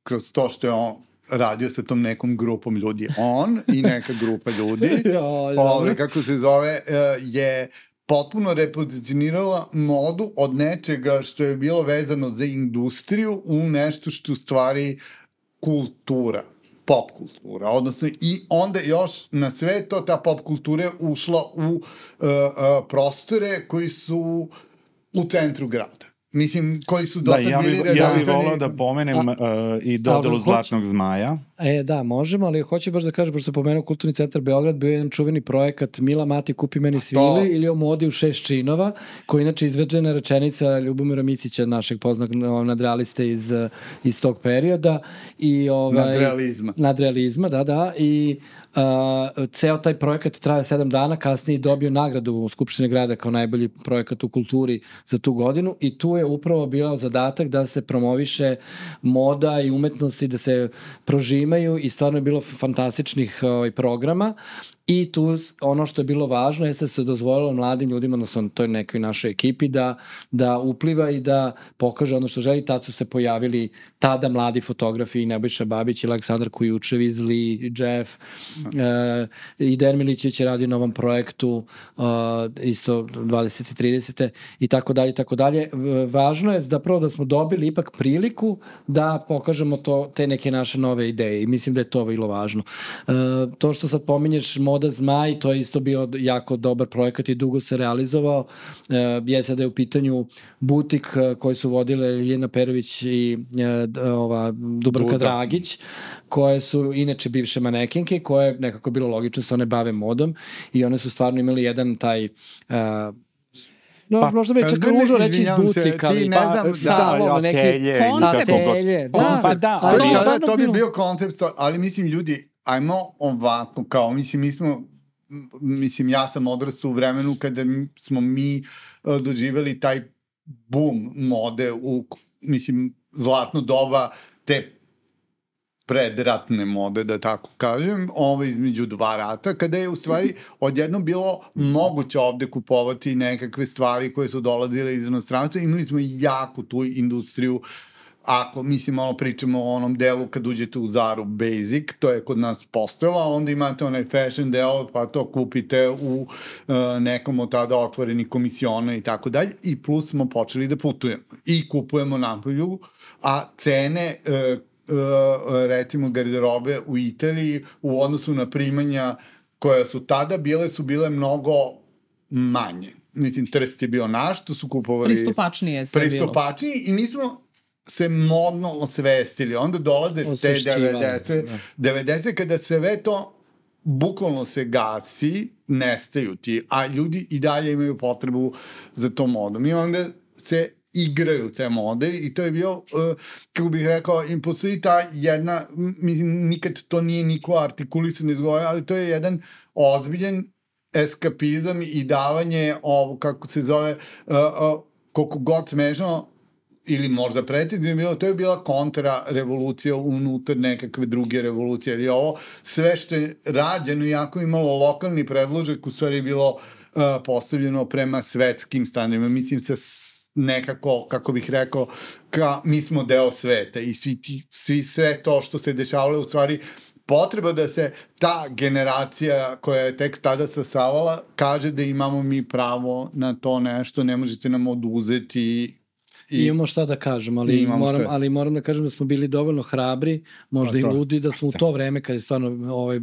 kroz to što je on radio sa tom nekom grupom ljudi. On i neka grupa ljudi, kako se zove, je potpuno repozicionirala modu od nečega što je bilo vezano za industriju u nešto što u stvari kultura, pop kultura, odnosno i onda još na sve to ta pop kultura je ušla u prostore koji su u centru grada. Mislim, koji su dotad bili redovani. Ja bih volao da pomenem i dodelu Zlatnog zmaja. Da, možemo, ali hoću baš da kažem, pošto pomenuo Kulturni centar Beograd, bio je jedan čuveni projekat Mila Mati kupi meni svile ili o modi u 6 činova, koji inače izveđena rečenica Ljubomira Micića, našeg poznatog nadrealiste iz tog perioda. Nadrealizma, da. I ceo taj projekat traje 7 dana, kasnije dobio nagradu u Skupštini grada kao najbolji projekat u kulturi za tu godinu i tu je upravo bio zadatak da se promoviše moda i umetnosti, da se prožimaju i stvarno je bilo fantastičnih programa. I tu ono što je bilo važno jeste da se dozvolilo mladim ljudima, odnosno toj nekoj našoj ekipi, da upliva i da pokaže ono što želi. Tad su se pojavili tada mladi fotografi i Nebojša Babić i Aleksandar Kujučev, Zli, Jeff, i Dejan Milićević je radio na ovom projektu isto 20. i 30. i tako dalje, tako dalje. Važno je zapravo da smo dobili ipak priliku da pokažemo te neke naše nove ideje i mislim da je to vrlo važno. To što sad pominješ Moda Zmaj, to je isto bio jako dobar projekat i dugo se realizovao. Sada je u pitanju butik koji su vodile Ljiljana Perović i Dubravka Dragić, koje su inače bivše manekenke, koje je nekako bilo logično se one bave modom i one su stvarno imali jedan taj možda bi čak ružno reći iz butika, ali salon, neki atelje. To bi bio koncept, ali mislim ljudi, ajmo ovako, kao mislim ja sam odrastao u vremenu kada smo mi doživjeli taj boom mode mislim, zlatno doba te predratne mode, da tako kažem, između dva rata, kada je u stvari odjednom bilo moguće ovde kupovati nekakve stvari koje su dolazile iz inostranstva. Imali smo jako tu industriju, ako, mislim, pričamo o onom delu kad uđete u Zaru Basic, to je kod nas postojalo, a onda imate onaj fashion deo, pa to kupite u nekom od tada otvorenih komisiona i tako dalje, i plus smo počeli da putujemo i kupujemo napolju, a cene recimo garderobe u Italiji u odnosu na primanja koja su tada bile mnogo manje. Mislim, Trst je bio naš, to su kupovali... Pristupačnije sve bilo. Pristupačniji i mi smo se modno osvestili. Onda dolaze te 90. kada sve to bukvalno se gasi, nestaju ti, a ljudi i dalje imaju potrebu za to modom. I onda se igraju te mode i to je bio, kako bih rekao, i postoji ta jedna, mislim, nikad to nije niko artikulisan izgovorio, ali to je jedan ozbiljan eskapizam i davanje kako se zove, koliko god smešno, ili možda pretizno bilo, to je bila kontra-revolucija unutar nekakve druge revolucije, jer je ovo sve što je rađeno, iako imalo lokalni predložak, u stvari bilo postavljeno prema svetskim standardima. Mislim, sa nekako, kako bih rekao, mi smo deo sveta i sve to što se dešavalo, u stvari potreba da se ta generacija koja je tek tada sastavala kaže da imamo mi pravo na to nešto, ne možete nam oduzeti. Imamo šta da kažem, ali moram da kažem da smo bili dovoljno hrabri, možda i ludi, da smo u to vreme, kada je stvarno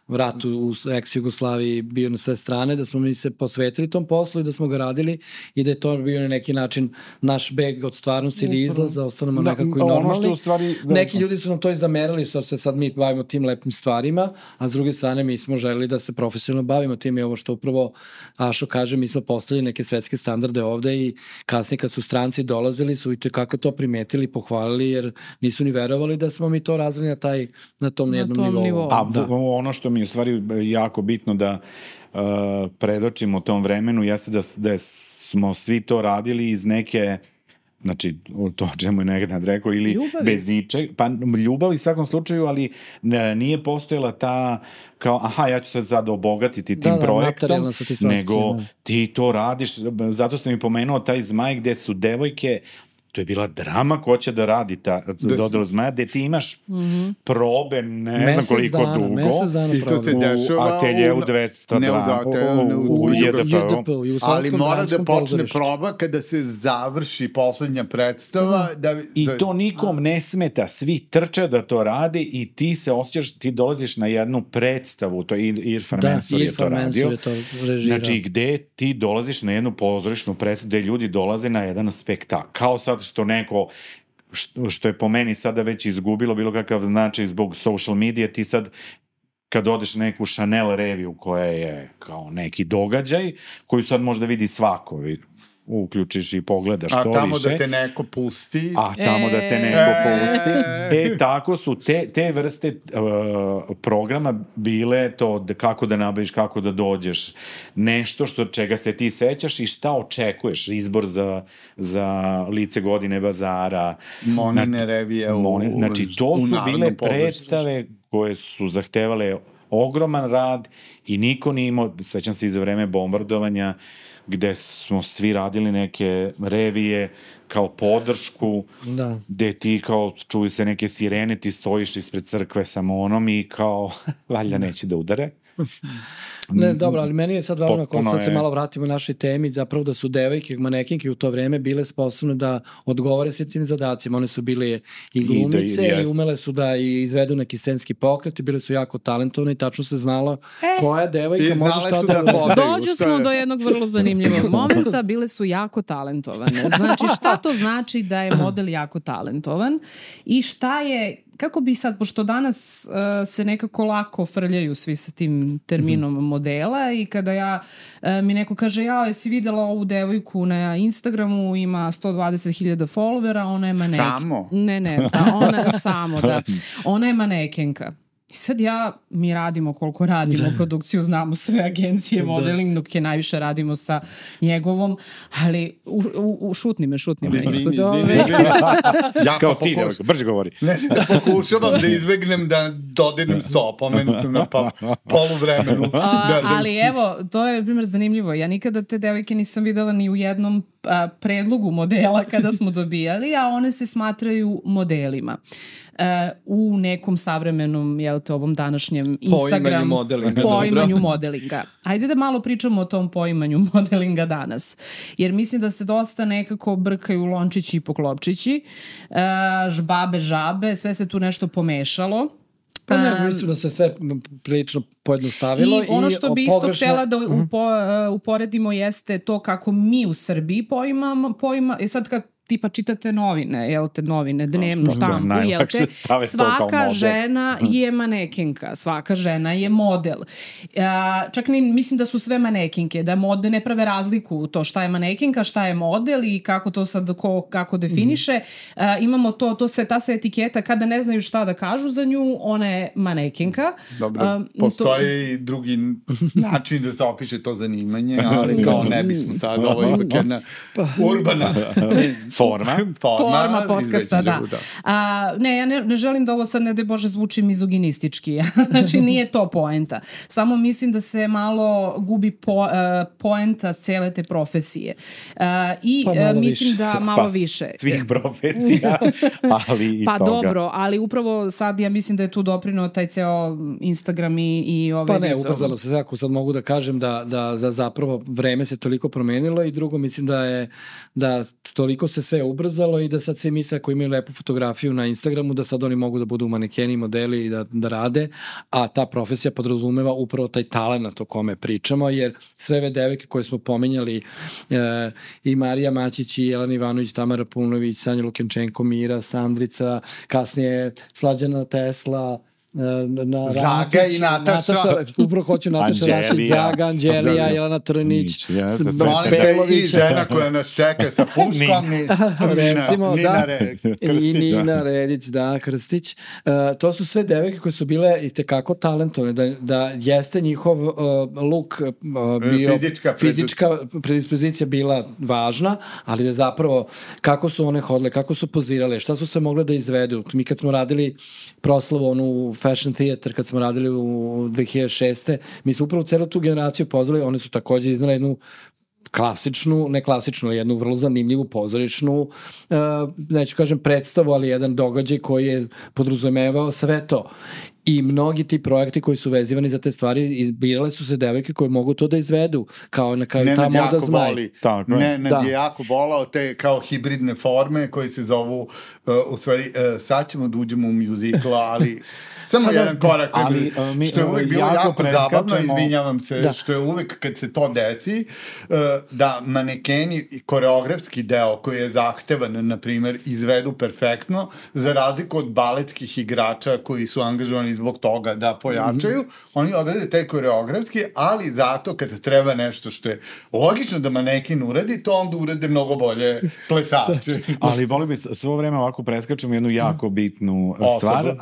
rat u ex-Jugoslaviji bio na sve strane, da smo mi se posvetili tom poslu i da smo ga radili i da je to bio na neki način naš beg od stvarnosti ili izlaz, da ostanemo nekako i normalni. Neki ljudi su nam to i zamerali, što se sad mi bavimo tim lepim stvarima, a s druge strane mi smo želeli da se profesionalno bavimo tim i ovo što upravo Ašo kaže, mi smo postavili neke svetske standarde ovde i kasnije kad su stranci dolazili su i kako to primetili, pohvalili, jer nisu ni verovali da smo mi to razvili na tom jednom nivou. A ono što mi u stvari jako bitno da predočimo u tom vremenu jeste da smo svi to radili iz neke, znači to o čemu je nekad rekao, ili ljubavi. Bez ničeg, pa ljubav u svakom slučaju, ali nije postojala ta kao, ja ću sad obogatiti tim projektom, nego ti to radiš, zato sam i pomenuo taj Zmaj gde su devojke, to je bila drama ko će da radi dodelu Zmaja, gde ti imaš probe, ne znam koliko dugo, i to se dešava u ateljeu 202, u JDP, ali mora da počne proba kada se završi poslednja predstava. I to nikom ne smeta, svi trče da to rade i ti se osjećaš, ti dolaziš na jednu predstavu, to je Irfan Mensur je to radio, znači gde ti dolaziš na jednu pozorišnu predstavu, gde ljudi dolaze na jedan spektakl, kao sad što neko, što je po meni sada već izgubilo bilo kakav značaj zbog social medije, ti sad kad odeš na neku Chanel reviju koja je kao neki događaj, koju sad možda vidi svako, uključiš i pogledaš to više. A tamo da te neko pusti. Tako su te vrste programa bile to kako da nabaviš, kako da dođeš, nešto čega se ti sećaš i šta očekuješ, izbor za lice godine bazara. Monine revije. Znači, to su bile predstave koje su zahtevale ogroman rad i niko nije imao, sećam se i za vreme bombardovanja, gde smo svi radili neke revije kao podršku, gde ti kao čuju se neke sirene, ti stojiš ispred crkve sa monom i kao valjda neće da udare. Ne, dobro, ali meni je sad važno, ako sad se malo vratimo našoj temi, zapravo da su devojke, manekinke u to vreme bile sposobne da odgovore se tim zadacima. One su bile i glumice i umele su da izvedu neki scenski pokret i bile su jako talentovne i tačno se znalo koja devojka može šta da dođu smo do jednog vrlo zanimljivog momenta, bile su jako talentovane. Znači, šta to znači da je model jako talentovan i šta je, kako bi sad, pošto danas se nekako lako frljaju svi sa tim terminom modela i kada mi neko kaže, jesi videla ovu devojku na Instagramu, ima 120.000 followera, ona je manekenka. Samo? Ne, ona je manekenka. I sad mi radimo koliko radimo produkciju, znamo sve agencije, modeling, dok je najviše radimo sa njegovom, ali šutni me ispod ove. Kao ti, brže govori. Pokušavam da izbegnem da dodirnem sto, pomenut sam na poluvremenu. Ali evo, to je, primjer, zanimljivo. Ja nikada te devojke nisam videla ni u jednom predlogu modela kada smo dobijali, a one se smatraju modelima. U nekom savremenom, ovom današnjem Instagram poimanju modelinga. Ajde da malo pričamo o tom poimanju modelinga danas. Jer mislim da se dosta nekako brkaju lončići i poklopčići, žbabe, žabe, sve se tu nešto pomešalo. Pa ne, mislim da se sve prilično pojednostavilo. I ono što bi isto htjela da uporedimo jeste to kako mi u Srbiji i sad kad tipa čitate novine, novine, dnevnu štampu, svaka žena je manekenka, svaka žena je model. Čak mislim da su sve manekenke, da mode ne prave razliku u to šta je manekenka, šta je model i kako to sad kako definiše. Imamo ta se etiketa, kada ne znaju šta da kažu za nju, ona je manekenka. Dobro, postoji i drugi način da se opiše to zanimanje, ali kao ne bismo sad, ovo je ipak jedna urbana forma podcasta, da. Ne, ja ne želim da ovo sad, ne daj Bože, zvuči mizoginistički. Znači, nije to poenta. Samo mislim da se malo gubi poenta cele te profesije. I mislim da malo više. Svih profesija, ali i toga. Pa dobro, ali upravo sad ja mislim da je tu doprinuo taj ceo Instagram i ove... Pa ne, ubrzalo se. Ako sad mogu da kažem da zapravo vreme se toliko promenilo i drugo mislim da toliko se sve ubrzalo i da sad svi misle ako imaju lepu fotografiju na Instagramu da sad oni mogu da budu manekeni, modeli i da rade, a ta profesija podrazumeva upravo taj talent o kome pričamo, jer sve ove devojke koje smo pomenjali, i Marija Mačić, i Jelena Ivanović, Tamara Punović, Sanja Lukenčenko, Mira, Sandrica, kasnije Slađana Tesla, Zaga i Nataša. Upravo hoću Nataša Rašić, Zaga, Anđelija, Jelena Trnić, i žena koja nas čeka sa puškom, i Nina Redić, Krstić. To su sve devojke koje su bile i tekako talentovne, da jeste njihov look bio, fizička predispozicija bila važna, ali da zapravo kako su one hodile, kako su pozirale, šta su se mogle da izvedu. Mi kad smo radili proslavu onu Fashion Theater, kad smo radili u 2006. Mi smo upravo celu tu generaciju pozvali, one su također iznale jednu klasičnu, ne klasičnu, ali jednu vrlo zanimljivu pozorišnu, neću kažem predstavu, ali jedan događaj koji je podrazumevao sve to. I mnogi ti projekti koji su vezivani za te stvari, izbirale su se devojke koje mogu to da izvedu, kao na kraju ta moda zmaj. Nenad je jako volao te kao hibridne forme koje se zovu, u stvari, sad ćemo da uđemo u muzikla, ali samo jedan korak, što je uvek bilo jako zabavno, izvinjavam se, što je uvek kad se to desi, da manekeni, koreografski deo koji je zahtevan, na primjer, izvedu perfektno, za razliku od baletskih igrača koji su angažovani zbog toga da pojačaju, oni odrade taj koreografski, ali zato kad treba nešto što je logično da maneken uradi, to onda urade mnogo bolje plesači. Ali volim bi svo vreme ovako preskačemo jednu jako bitnu stvar,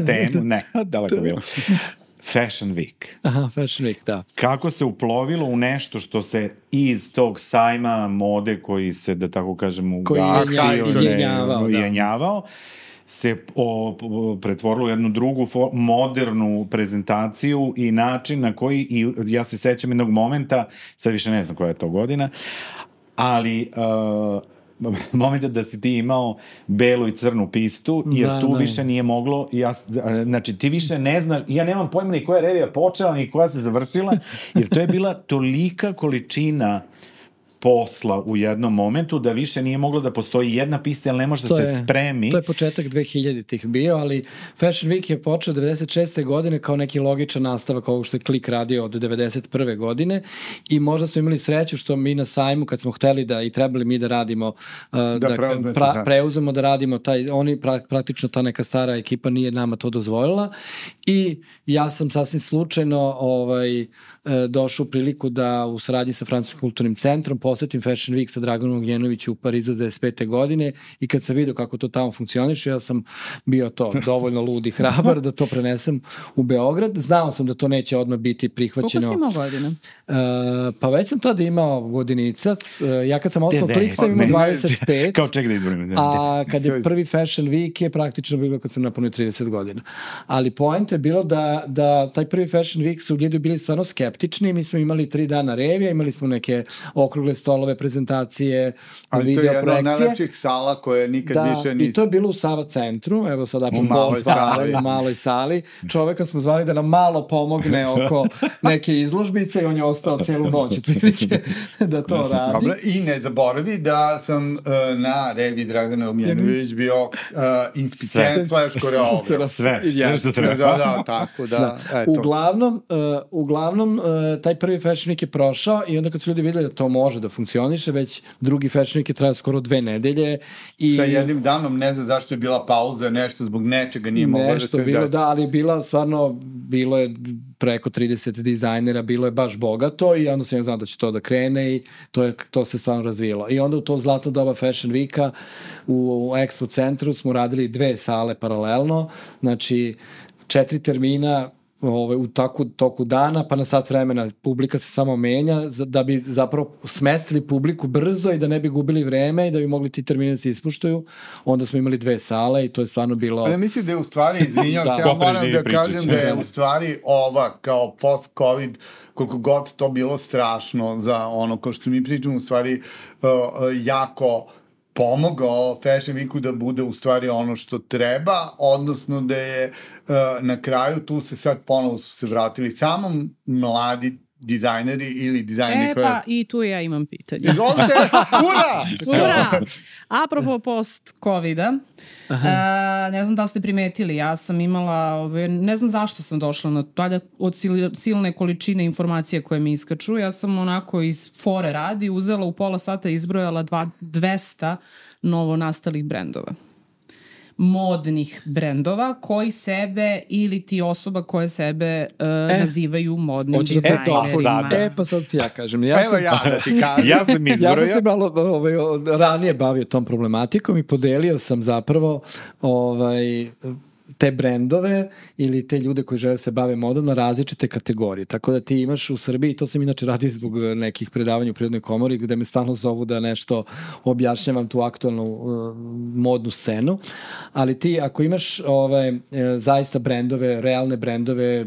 temu, daleko bilo. Fashion Week. Aha, Fashion Week, da. Kako se uplovilo u nešto što se iz tog sajma mode koji se, da tako kažem, ujenjavao, se pretvorilo u jednu drugu modernu prezentaciju i način na koji, i ja se sećam jednog momenta, sad više ne znam koja je to godina, ali momenta da si ti imao belu i crnu pistu, jer tu više nije moglo, znači ti više ne znaš, ja nemam pojma ni koja revija počela, ni koja se završila, jer to je bila tolika količina posla u jednom momentu da više nije moglo da postoji jedna pista, jer ne može da se spremi. To je početak 2000-ih bio, ali Fashion Week je počeo 96. godine kao neki logičan nastavak ovog što je Klik radio od 91. godine i možda smo imali sreću što mi na sajmu kad smo hteli da i trebali mi da radimo, preuzemo da radimo oni praktično ta neka stara ekipa nije nama to dozvolila i ja sam sasvim slučajno došao u priliku da u saradnji sa Francuskim kulturnim centrom posetim Fashion Week sa Draganom Ognjenoviću u Parizu 95. godine i kad sam vidio kako to tamo funkcioniše, ja sam bio dovoljno lud i hrabar da to prenesem u Beograd. Znao sam da to neće odmah biti prihvaćeno. Koliko si imao godina? Pa već sam tada imao godinica. Ja kad sam osnovno Klik sam imao 25. Kao ček da izborim. A kad je prvi Fashion Week je praktično bilo kad sam napunio 30 godina. Ali point je bilo da taj prvi Fashion Week su ljudi bili stvarno skeptični. Mi smo imali 3 dana revija, imali smo neke okrugle stolove, prezentacije, video projekcije. Ali to je jedna od najlepših sala koje nikad više nisu. I to je bilo u Sava centru, evo sada u maloj sali. Čoveka smo zvali da nam malo pomogne oko neke izložbice i on je ostao cijelu noć da to radi. Dobro, i ne zaboravi da sam na revi Dragana Ognjenović bio inspicient / koreograf. Sve što treba. Da, tako da, eto. Uglavnom, taj prvi Fashion Week je prošao i onda kad su ljudi videli da to može da funkcioniše, već drugi Fashion Week je trajao skoro 2 nedelje. Sa jednim danom, ne znam zašto je bila pauza, nešto zbog nečega nije moglo da se bilo, da, ali bilo je preko 30 dizajnera, bilo je baš bogato i onda sam ja znao da će to da krene i to se stvarno razvijelo. I onda u to zlatno doba Fashion Weeka u Expo centru smo radili 2 sale paralelno, znači 4 termina u toku dana, pa na sat vremena publika se samo menja, da bi zapravo smestili publiku brzo i da ne bi gubili vreme i da bi mogli ti termini da se ispuštuju. Onda smo imali 2 sale i to je stvarno bilo... Ja mislim da je u stvari, izvinjam, ja moram da kažem da je u stvari ova kao post-covid, koliko god to bilo strašno za ono ko što mi pričamo, u stvari jako pomogao Fashion Weeku da bude u stvari ono što treba, odnosno da je na kraju tu se sad ponovo su se vratili samo mladi dizajneri ili dizajneri koje... Pa i tu ja imam pitanje. Izvolite, ura! Apropo post-covida, ne znam da ste primetili, ja sam imala, ne znam zašto sam došla na to, od silne količine informacija koje mi iskaču, ja sam onako iz fore radi uzela u pola sata izbrojala 200 novo nastalih brendova. Modnih brendova koji sebe ili ti osoba koje sebe nazivaju modnim dizajnerima. Pa sad ti ja kažem. Ja da ti kažem. Ja sam izbrojao. Ja sam se malo ranije bavio tom problematikom i podelio sam zapravo te brendove ili te ljude koji žele se bave modom na različite kategorije. Tako da ti imaš u Srbiji, to sam inače radio zbog nekih predavanja u Prirodnoj komori gde me stalno zovu da nešto objašnjavam tu aktualnu modnu scenu, ali ti ako imaš zaista brendove, realne brendove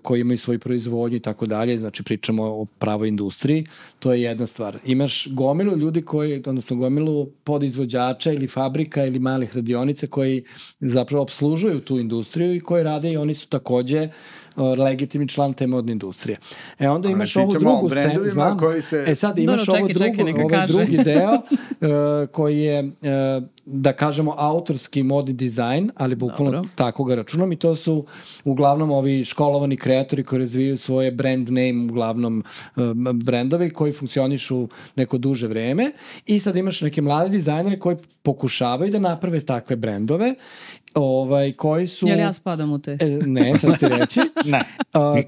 koji imaju svoju proizvodnju i tako dalje, znači pričamo o pravoj industriji, to je jedna stvar. Imaš gomilu ljudi odnosno gomilu podizvođača ili fabrika ili malih radionica koji zapravo obslužuju tu industriju i koji rade i oni su takođe legitimni član te modne industrije. Onda imaš ovu drugu scenu, sad imaš ovaj drugi deo koji je da kažemo autorski modni dizajn, ali bukvalno tako ga računam i to su uglavnom ovi školovani kreatori koji razvijaju svoje brand name, uglavnom brendovi koji funkcionišu neko duže vreme i sad imaš neke mlade dizajnere koji pokušavaju da naprave takve brendove koji su... Jel ja spadam u te? Ne, sad ću ti reći.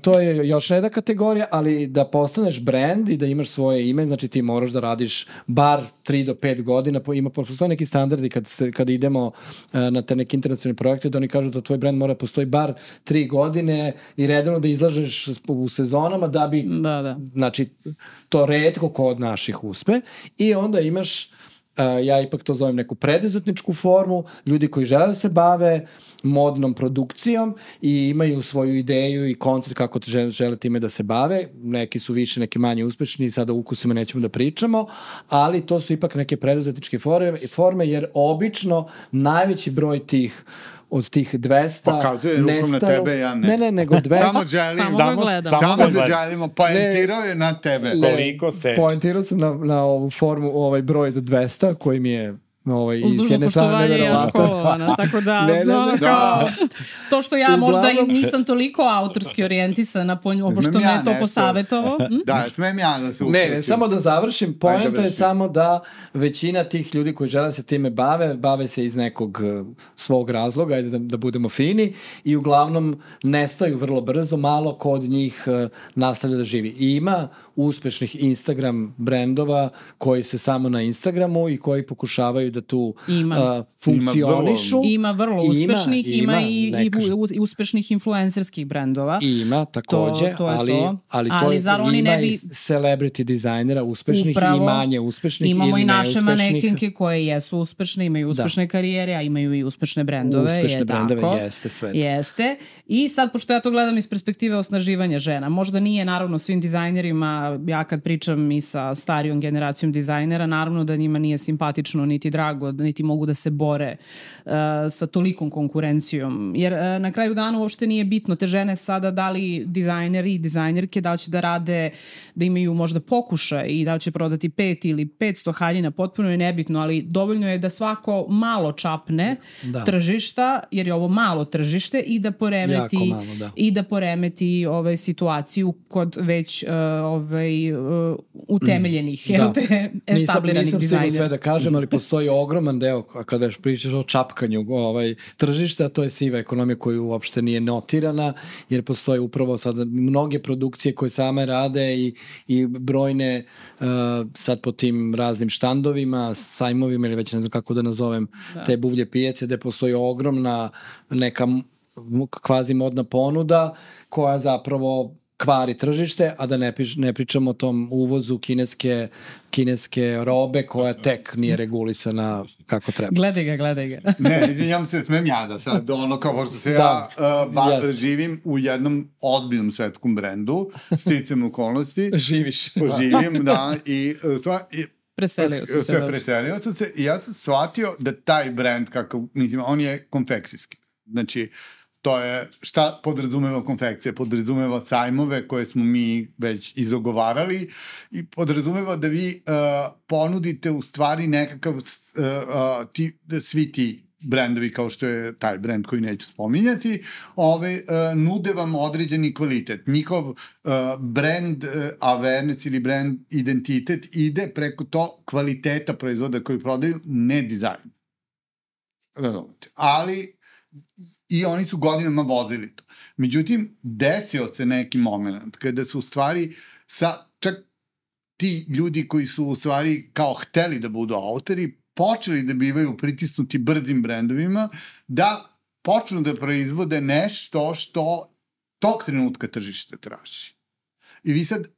To je još jedna kategorija, ali da postaneš brand i da imaš svoje ime, znači ti moraš da radiš bar 3 do 5 godina, postoje neki standardi kad idemo na te neke internacionalne projekte, da oni kažu da tvoj brand mora postoji bar 3 godine i redovno da izlažeš u sezonama da bi, znači, to retko kod naših uspe i onda imaš ja ipak to zovem neku preduzetničku formu, ljudi koji žele da se bave modnom produkcijom i imaju svoju ideju i koncept kako žele time da se bave, neki su više, neki manje uspešni, sada o ukusima nećemo da pričamo, ali to su ipak neke preduzetničke forme, jer obično najveći broj tih od tih 200 pokazuje rukom na tebe, ja ne. Ne, nego 200. Samo da želimo, poentirao je na tebe. Poentirao sam na ovu formu, ovaj broj do 200, koji mi je uz dužno poštovanje ja školovana, tako da to što ja možda i nisam toliko autorski orijentisana, pošto me je to posavetovo. Da, smem ja da se uključim. Ne, samo da završim, poenta je samo da većina tih ljudi koji žele se time bave se iz nekog svog razloga, ajde da budemo fini, i uglavnom nestaju vrlo brzo, malo ko od njih nastavlja da živi. I ima uspešnih Instagram brendova koji se samo na Instagramu i koji pokušavaju da tu funkcionišu. Ima vrlo uspešnih, ima i uspešnih influencerskih brendova. Ima, takođe, ali ima i celebrity dizajnera uspešnih i manje uspešnih ili neuspešnih. Imamo i naše manekenke koje jesu uspešne, imaju uspešne karijere, a imaju i uspešne brendove. Uspešne brendove, jeste sve. Jeste. I sad, pošto ja to gledam iz perspektive osnaživanja žena, možda nije naravno svim dizajnerima, ja kad pričam i sa starijom generacijom dizajnera, naravno da njima nije simpatično niti drago, niti mogu da se bore sa tolikom konkurencijom. Jer na kraju dana uopšte nije bitno. Te žene sada, da li dizajneri i dizajnerke, da li će da rade, da imaju možda pokušaj i da li će prodati 5 ili 500 haljina, potpuno je nebitno, ali dovoljno je da svako malo čapne tržišta, jer je ovo malo tržište, i da poremeti, i da poremeti situaciju kod već utemeljenih establiranih nisam dizajnera. Nisam sve da kažem, ali postoji ogroman deo, kada već pričaš o čapkanju tržišta, to je siva ekonomija koja uopšte nije notirana, jer postoje upravo sada mnoge produkcije koje same rade i brojne sad po tim raznim štandovima, sajmovima ili već ne znam kako da nazovem te buvlje pijace, gde postoji ogromna neka kvazi modna ponuda koja zapravo kvari tržište, a da ne pričamo o tom uvozu kineske robe koja tek nije regulisana kako treba. Gledaj ga. Ne, izvinjam se, smem ja da sad, kao što se živim u jednom ozbiljnom svetskom brendu, sticam okolnosti. Živim, da, i preselio sam se i ja sam shvatio da taj brend, on je konfekcijski. Znači, to je, šta podrazumeva konfekcija? Podrazumeva sajmove koje smo mi već izogovarali i podrazumeva da vi ponudite u stvari nekakav, svi ti brendovi kao što je taj brend koji neću spominjati, nude vam određeni kvalitet. Njihov brand awareness ili brand identitet ide preko to kvaliteta proizvoda koji prodaju, ne dizajn. Razumete. Ali i oni su godinama vozili to. Međutim, desio se neki moment kada su u stvari čak ti ljudi koji su u stvari kao hteli da budu autori, počeli da bivaju pritisnuti brzim brendovima, da počnu da proizvode nešto što tog trenutka tržište traži. I vi sad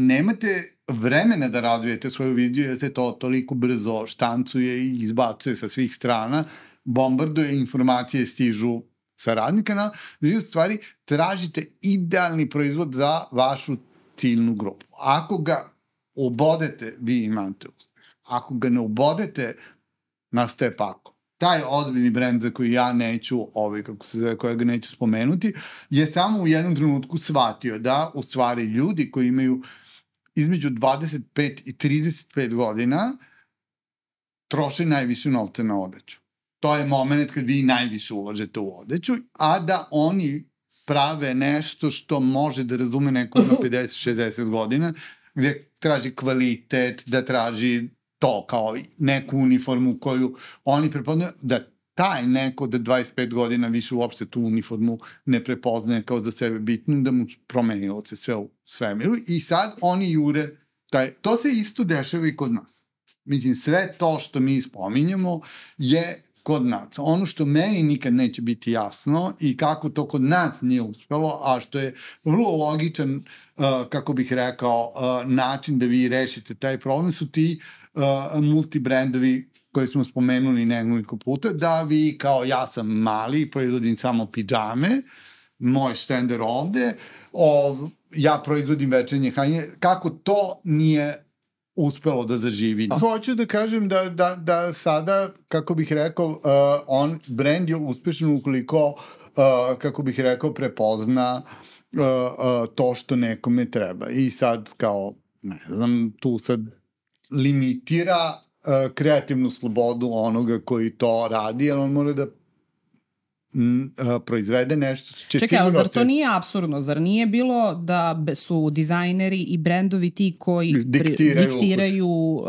nemate vremena da razvijete svoju viziju, jer se to toliko brzo štancuje i izbacuje sa svih strana, bombarduje, informacije stižu sa radnika, vi u stvari tražite idealni proizvod za vašu ciljnu grupu. Ako ga obodete, vi imate uspeh. Ako ga ne obodete, nastaje pakao. Taj ozbiljni brend za koji ja neću, kojega neću spomenuti, je samo u jednom trenutku shvatio da u stvari ljudi koji imaju između 25 i 35 godina troše najviše novca na odeću. To je moment kad vi najviše ulažete u odeću, a da oni prave nešto što može da razume neko na 50-60 godina, gde traži kvalitet, da traži to kao neku uniformu koju oni prepoznaju, da taj neko da 25 godina više uopšte tu uniformu ne prepoznaje kao za sebe bitnu, da mu promenilo se sve u svemiru i sad oni jure, to se isto dešava i kod nas. Mislim, sve to što mi spominjemo je kod nas. Ono što meni nikad neće biti jasno i kako to kod nas nije uspelo, a što je vrlo logičan, kako bih rekao, način da vi rešite taj problem, su ti multibrendovi koje smo spomenuli nekoliko puta, da vi kao ja sam mali, proizvodim samo pidžame, moj štender ovde, ja proizvodim večernje haljine, kako to nije uspelo da zaživi. Hoću da kažem da sada, kako bih rekao, brand je uspešan ukoliko, kako bih rekao, prepozna to što nekome treba. I sad kao, ne znam, tu sad limitira kreativnu slobodu onoga koji to radi, jer on mora da proizvede nešto će čekaj, ali zar to nije apsurdno? Zar nije bilo da su dizajneri i brendovi ti koji diktiraju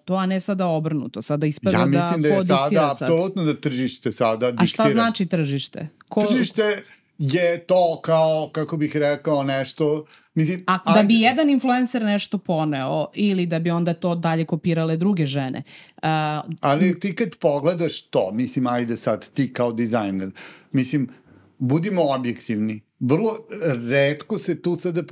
to, a ne sada obrnuto? Sada ispada da ko diktira sad? Ja mislim da je sada apsolutno da tržište sada diktira. A šta znači tržište? Tržište je to kao, kako bih rekao, nešto... Mislim, da bi jedan influencer nešto poneo ili da bi onda to dalje kopirale druge žene. Ali ti kad pogledaš to, mislim, ajde sad ti kao dizajner, mislim, budimo objektivni. Vrlo retko se tu sada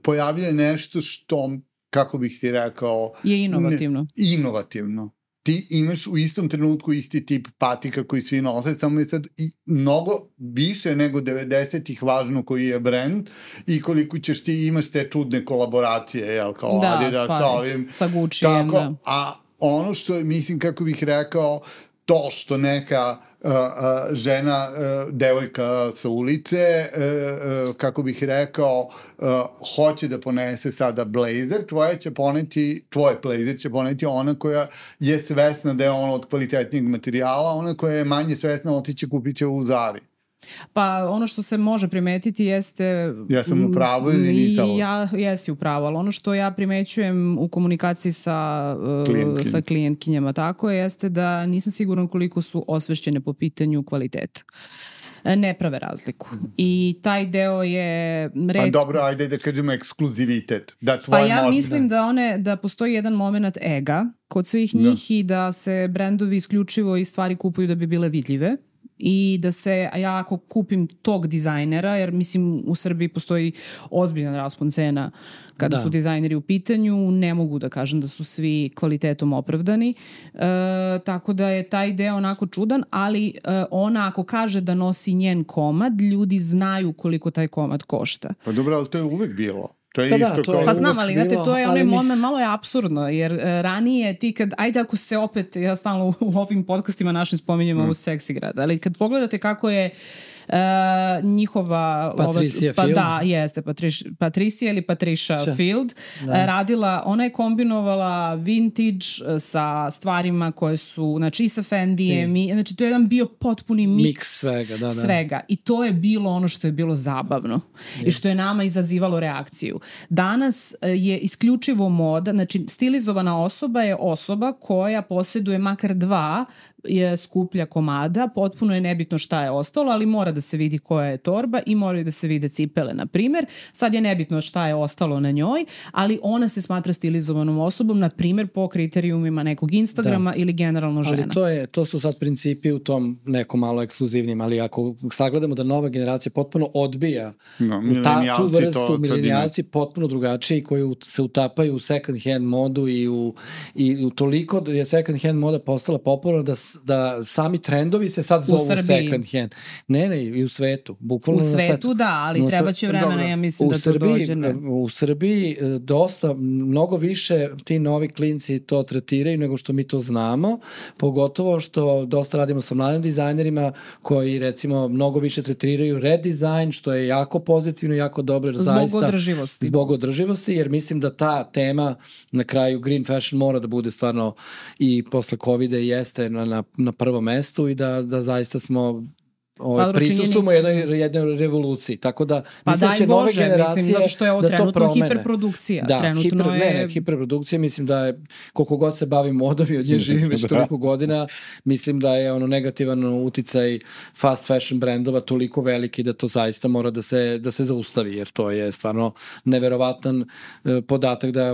pojavlja nešto što, kako bih ti rekao... Je inovativno. Inovativno. Ti imaš u istom trenutku isti tip patika koji svi nose, samo je sad i mnogo više nego 90-ih važno koji je brand i koliko ćeš ti imaš te čudne kolaboracije, jel, kao Adidas sa ovim. Sa Guccijem, da. A ono što je, mislim, kako bih rekao, to što neka žena, devojka sa ulice, kako bih rekao, hoće da ponese sada blazer, tvoj blazer će poneti ona koja je svesna da je ono od kvalitetnijeg materijala, ona koja je manje svesna otiće kupit će u Zari. Pa ono što se može primetiti jeste... Ja sam u pravu ili nisam? Jesi u pravu, ali ono što ja primećujem u komunikaciji sa klijentkinjama tako jeste da nisam siguran koliko su osvešćene po pitanju kvaliteta. Ne prave razliku. I taj deo je... Pa dobro, ajde da kažemo ekskluzivitet. Pa ja mislim da postoji jedan moment ega kod svih njih i da se brendovi isključivo i stvari kupuju da bi bile vidljive. I da se, ja ako kupim tog dizajnera, jer mislim u Srbiji postoji ozbiljan raspon cena kada su dizajneri u pitanju, ne mogu da kažem da su svi kvalitetom opravdani, tako da je taj deo onako čudan, ali ona ako kaže da nosi njen komad, ljudi znaju koliko taj komad košta. Pa dobro, ali to je uvek bilo. To je isto kao... Pa znam, ali znate, to je onaj moment, malo je apsurdno, jer ranije ti kad, ajde ako se opet, ja stalno u ovim podcastima našim spominjem ovu seksi grad, ali kad pogledate kako je njihova... Patricia Field. Da, jeste, Patricia ili Patricia Field radila, ona je kombinovala vintage sa stvarima koje su, znači i sa Fendijem, znači to je jedan bio potpuni miks svega. I to je bilo ono što je bilo zabavno i što je nama izazivalo reakciju. Danas je isključivo moda, znači stilizovana osoba je osoba koja posjeduje makar 2 je skuplja komada, potpuno je nebitno šta je ostalo, ali mora da se vidi koja je torba i moraju da se vide cipele, na primjer. Sad je nebitno šta je ostalo na njoj, ali ona se smatra stilizovanom osobom, na primjer po kriterijumima nekog Instagrama ili generalno žena. Ali to su sad principi u tom nekom malo ekskluzivnim, ali ako sagledamo da nova generacija potpuno odbija tu vrstu, milenijalci potpuno drugačiji koji se utapaju u second hand modu i u toliko je second hand moda postala popularna da sami trendovi se sad zovu second hand. Ne, i u svetu. Bukvalno u svetu, ali treba će vremena, ja mislim da to dođe. U Srbiji dosta, mnogo više ti novi klinci to tretiraju nego što mi to znamo, pogotovo što dosta radimo sa mladim dizajnerima koji recimo mnogo više tretiraju redizajn, što je jako pozitivno, jako dobro. Zbog održivosti, jer mislim da ta tema na kraju green fashion mora da bude stvarno i posle COVID-a jeste na prvom mestu i da zaista smo prisustujemo jednoj revoluciji. Tako da mislim da će nove generacije zato što je ovo trenutno hiperprodukcija. Hiperprodukcija, mislim da je, koliko god se bavim modom i od nje živim već toliko godina, mislim da je negativan uticaj fast fashion brendova toliko veliki da to zaista mora da se zaustavi, jer to je stvarno neverovatan podatak da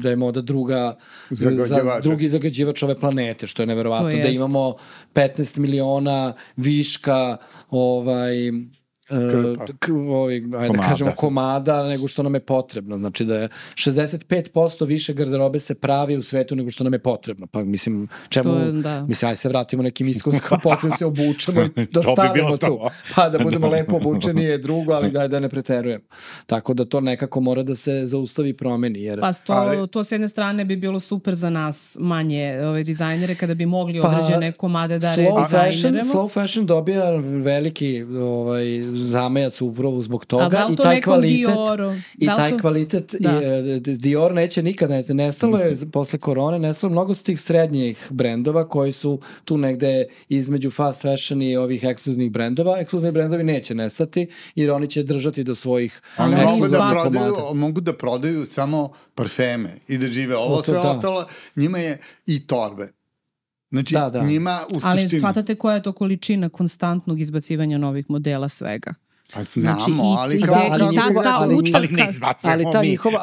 je moda drugi zagađivač ove planete, što je neverovatno. Da imamo 15 miliona viška komada nego što nam je potrebno. Znači da je 65% više garderobe se pravi u svetu nego što nam je potrebno. Pa mislim, aj se vratimo nekim iskonskom potrebno, se obučemo i da stavimo tu. Pa da budemo lepo obučeni je drugo, ali da ne preterujemo. Tako da to nekako mora da se zaustavi i promeni. Pa to s jedne strane bi bilo super za nas manje dizajnere kada bi mogli određene komade da redizajneremo. Slow fashion dobija veliki zamajac upravo zbog toga. A da li to nekom Dioru? I taj kvalitet Dior neće nikad nestalo je posle korone, nestalo mnogo s tih srednjih brendova koji su tu negde između fast fashion i ovih ekskluzivnih brendova. Ekskluzivni brendovi neće nestati jer oni će držati do svojih mogu da prodaju samo parfeme i da žive. Ovo sve ostalo, njima je i torbe. Znači, njima u suštini... Ali shvatate koja je to količina konstantnog izbacivanja novih modela svega? Pa znamo,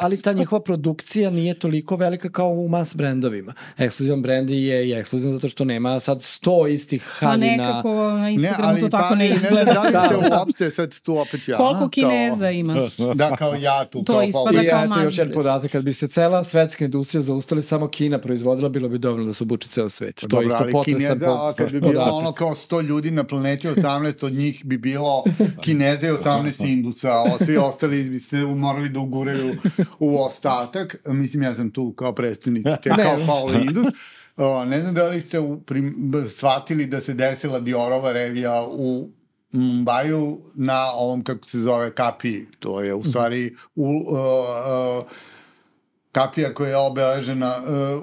ali ta njihova produkcija nije toliko velika kao u mass brendovima. Ekskluzivan brend je ekskluzivan zato što nema sad 100 istih haljina. Pa nekako na Instagramu to tako ne izgleda. Da li ste uopšte sad tu opet ja? Koliko Kineza ima? Da, kao ja tu. To ispada kao mass. I još jedan podatak, kad bi se cela svetska industrija zaustali, samo Kina proizvodila, bilo bi dovoljno da se obuči ceo svet. To je isto potresan podatak. Kad bi bilo ono kao 100 ljudi na planeti, 18 od njih bi bilo Kineza i 18 Indusa, a svi ostali bi se morali da uguraju u ostatak. Mislim, ja sam tu kao predstavnici, kao Paolo Indus. Ne znam da li ste shvatili da se desila Diorova revija u Mumbaju na ovom, kako se zove, kapiji. To je u stvari kapija koja je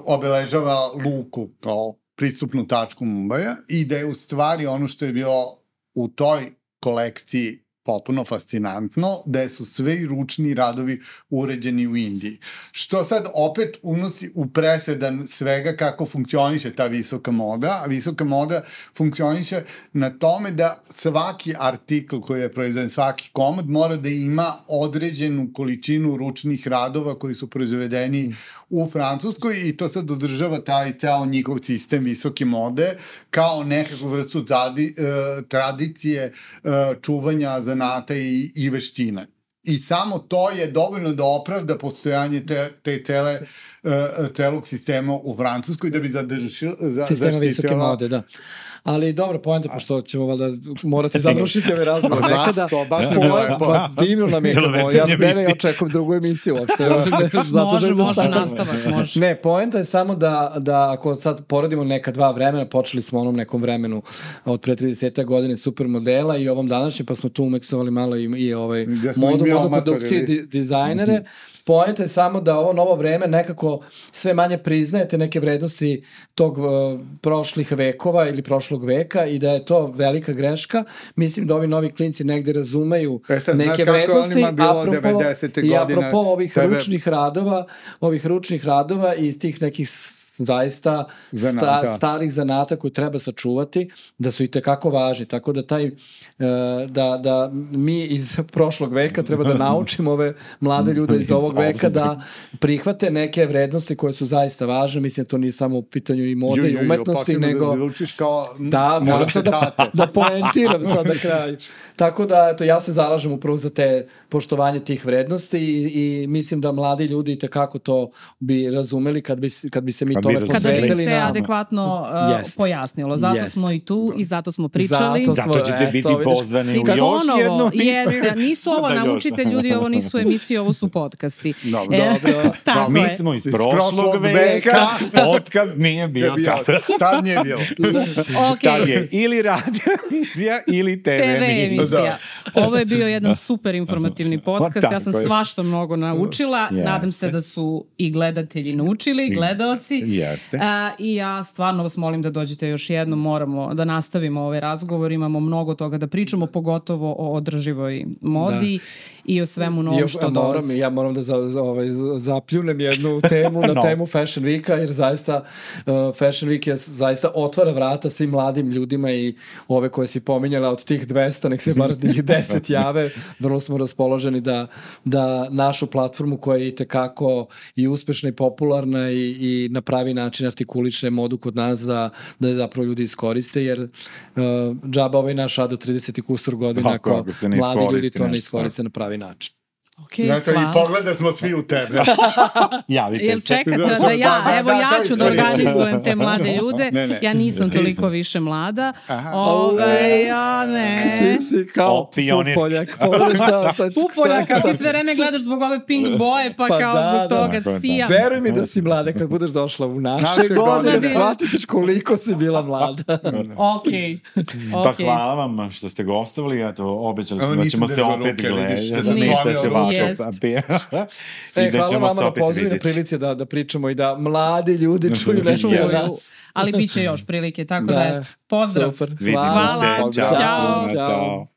obeležava luku kao pristupnu tačku Mumbaja i da je u stvari ono što je bilo u toj kolekciji potpuno fascinantno, da su sve ručni radovi uređeni u Indiji. Što sad opet unosi u presedan svega kako funkcioniše ta visoka moda, a visoka moda funkcioniše na tome da svaki artikl koji je proizveden, svaki komad mora da ima određenu količinu ručnih radova koji su proizvedeni u Francuskoj i to sad održava taj ceo njihov sistem visoke mode kao nekakvu vrstu tradicije čuvanja zanata i veštine. I samo to je dovoljno da opravda postojanje te celog sistema u Francuskoj da bi sistema visoke mode, da. Ali dobro, poenta, pošto ćemo valjda morati završiti ove razgovore nekada. Zašto? Baš ne bilo lepo. Divno nam je, ja očekujem drugu emisiju uopšte. Može nastavak, može. Ne, poenta je samo da ako sad poredimo neka dva vremena, počeli smo onom nekom vremenu od pre 30 godine supermodela i ovom današnjem, pa smo tu umeksovali malo i modu produkcije, dizajnere. Poenta je samo da ovo novo vreme nekako sve manje priznajete neke vrednosti tog prošlih vekova ili prošlog veka i da je to velika greška. Mislim da ovi novi klinci negde razumeju neke vrednosti, apropo ovih ručnih radova i iz tih nekih zaista starih zanata koje treba sačuvati, da su i tekako važni. Tako da da mi iz prošlog veka treba da naučimo ove mlade ljude iz ovog veka da prihvate neke vrednosti koje su zaista važne. Mislim, to nije samo u pitanju i mode i umetnosti, nego... Da, moram sad da poentiram sad na kraju. Tako da, eto, ja se zalažem upravo za te poštovanje tih vrednosti i mislim da mladi ljudi i tekako to bi razumeli kad bi se mi tome posvetili. Kada bi se adekvatno pojasnilo. Zato smo i tu i zato smo pričali. Zato ćete biti pozvani u još jednu emisiju. Nisu ovo naučite ljudi, ovo nisu emisije, ovo su podcasti. Dobro. Mi smo iz prošlog veka. Podcast nije bio tada. Tad nije bio. Tad je ili radio emisija ili TV emisija. Ovo je bio jedan super informativni podcast. Ja sam svašta mnogo naučila. Nadam se da su i gledatelji naučili, i gledaoci. I ja stvarno vas molim da dođete još jednom. Moramo da nastavimo ovaj razgovor. Imamo mnogo toga da pričamo, pogotovo o održivoj modi i o svemu novom što dolazi. Ja moram da zapljunem jednu temu na temu Fashion Weeka, jer zaista Fashion Week je zaista otvara vrata svim mladim ljudima i ove koje si pominjala od tih 200, nek se bar njih 10 jave. Vrlo smo raspoloženi da našu platformu koja je itekako i uspešna i popularna i na pravi način artikuliše modu kod nas da je zapravo ljudi iskoriste, jer džaba ovaj naš rad do 30 kusur godina ako mladi ljudi to ne iskoriste na pravi način. Okay, znači, i pogleda smo svi u tebe. Javite Jel se. čekate da ja, evo ja ću da organizujem te mlade ljude. Ja nisam toliko više mlada. Ja ne. Ti si kao Pupoljak. Pupoljak, a ti sve vreme gledaš zbog ove pink boje, pa kao zbog toga sijam. Veruj mi da si mlada, kad budeš došla u naše godine, shvatit ćeš koliko si bila mlada. Okej. Pa hvala vam što ste gostovali, eto, obećali smo da ćemo se opet gledati. Hvala vama na pozivu, na prilici da pričamo i da mladi ljudi čuju nešto od nas. Ali bit će još prilike, tako da eto. Pozdrav. Super. Vidimo se. Ćao.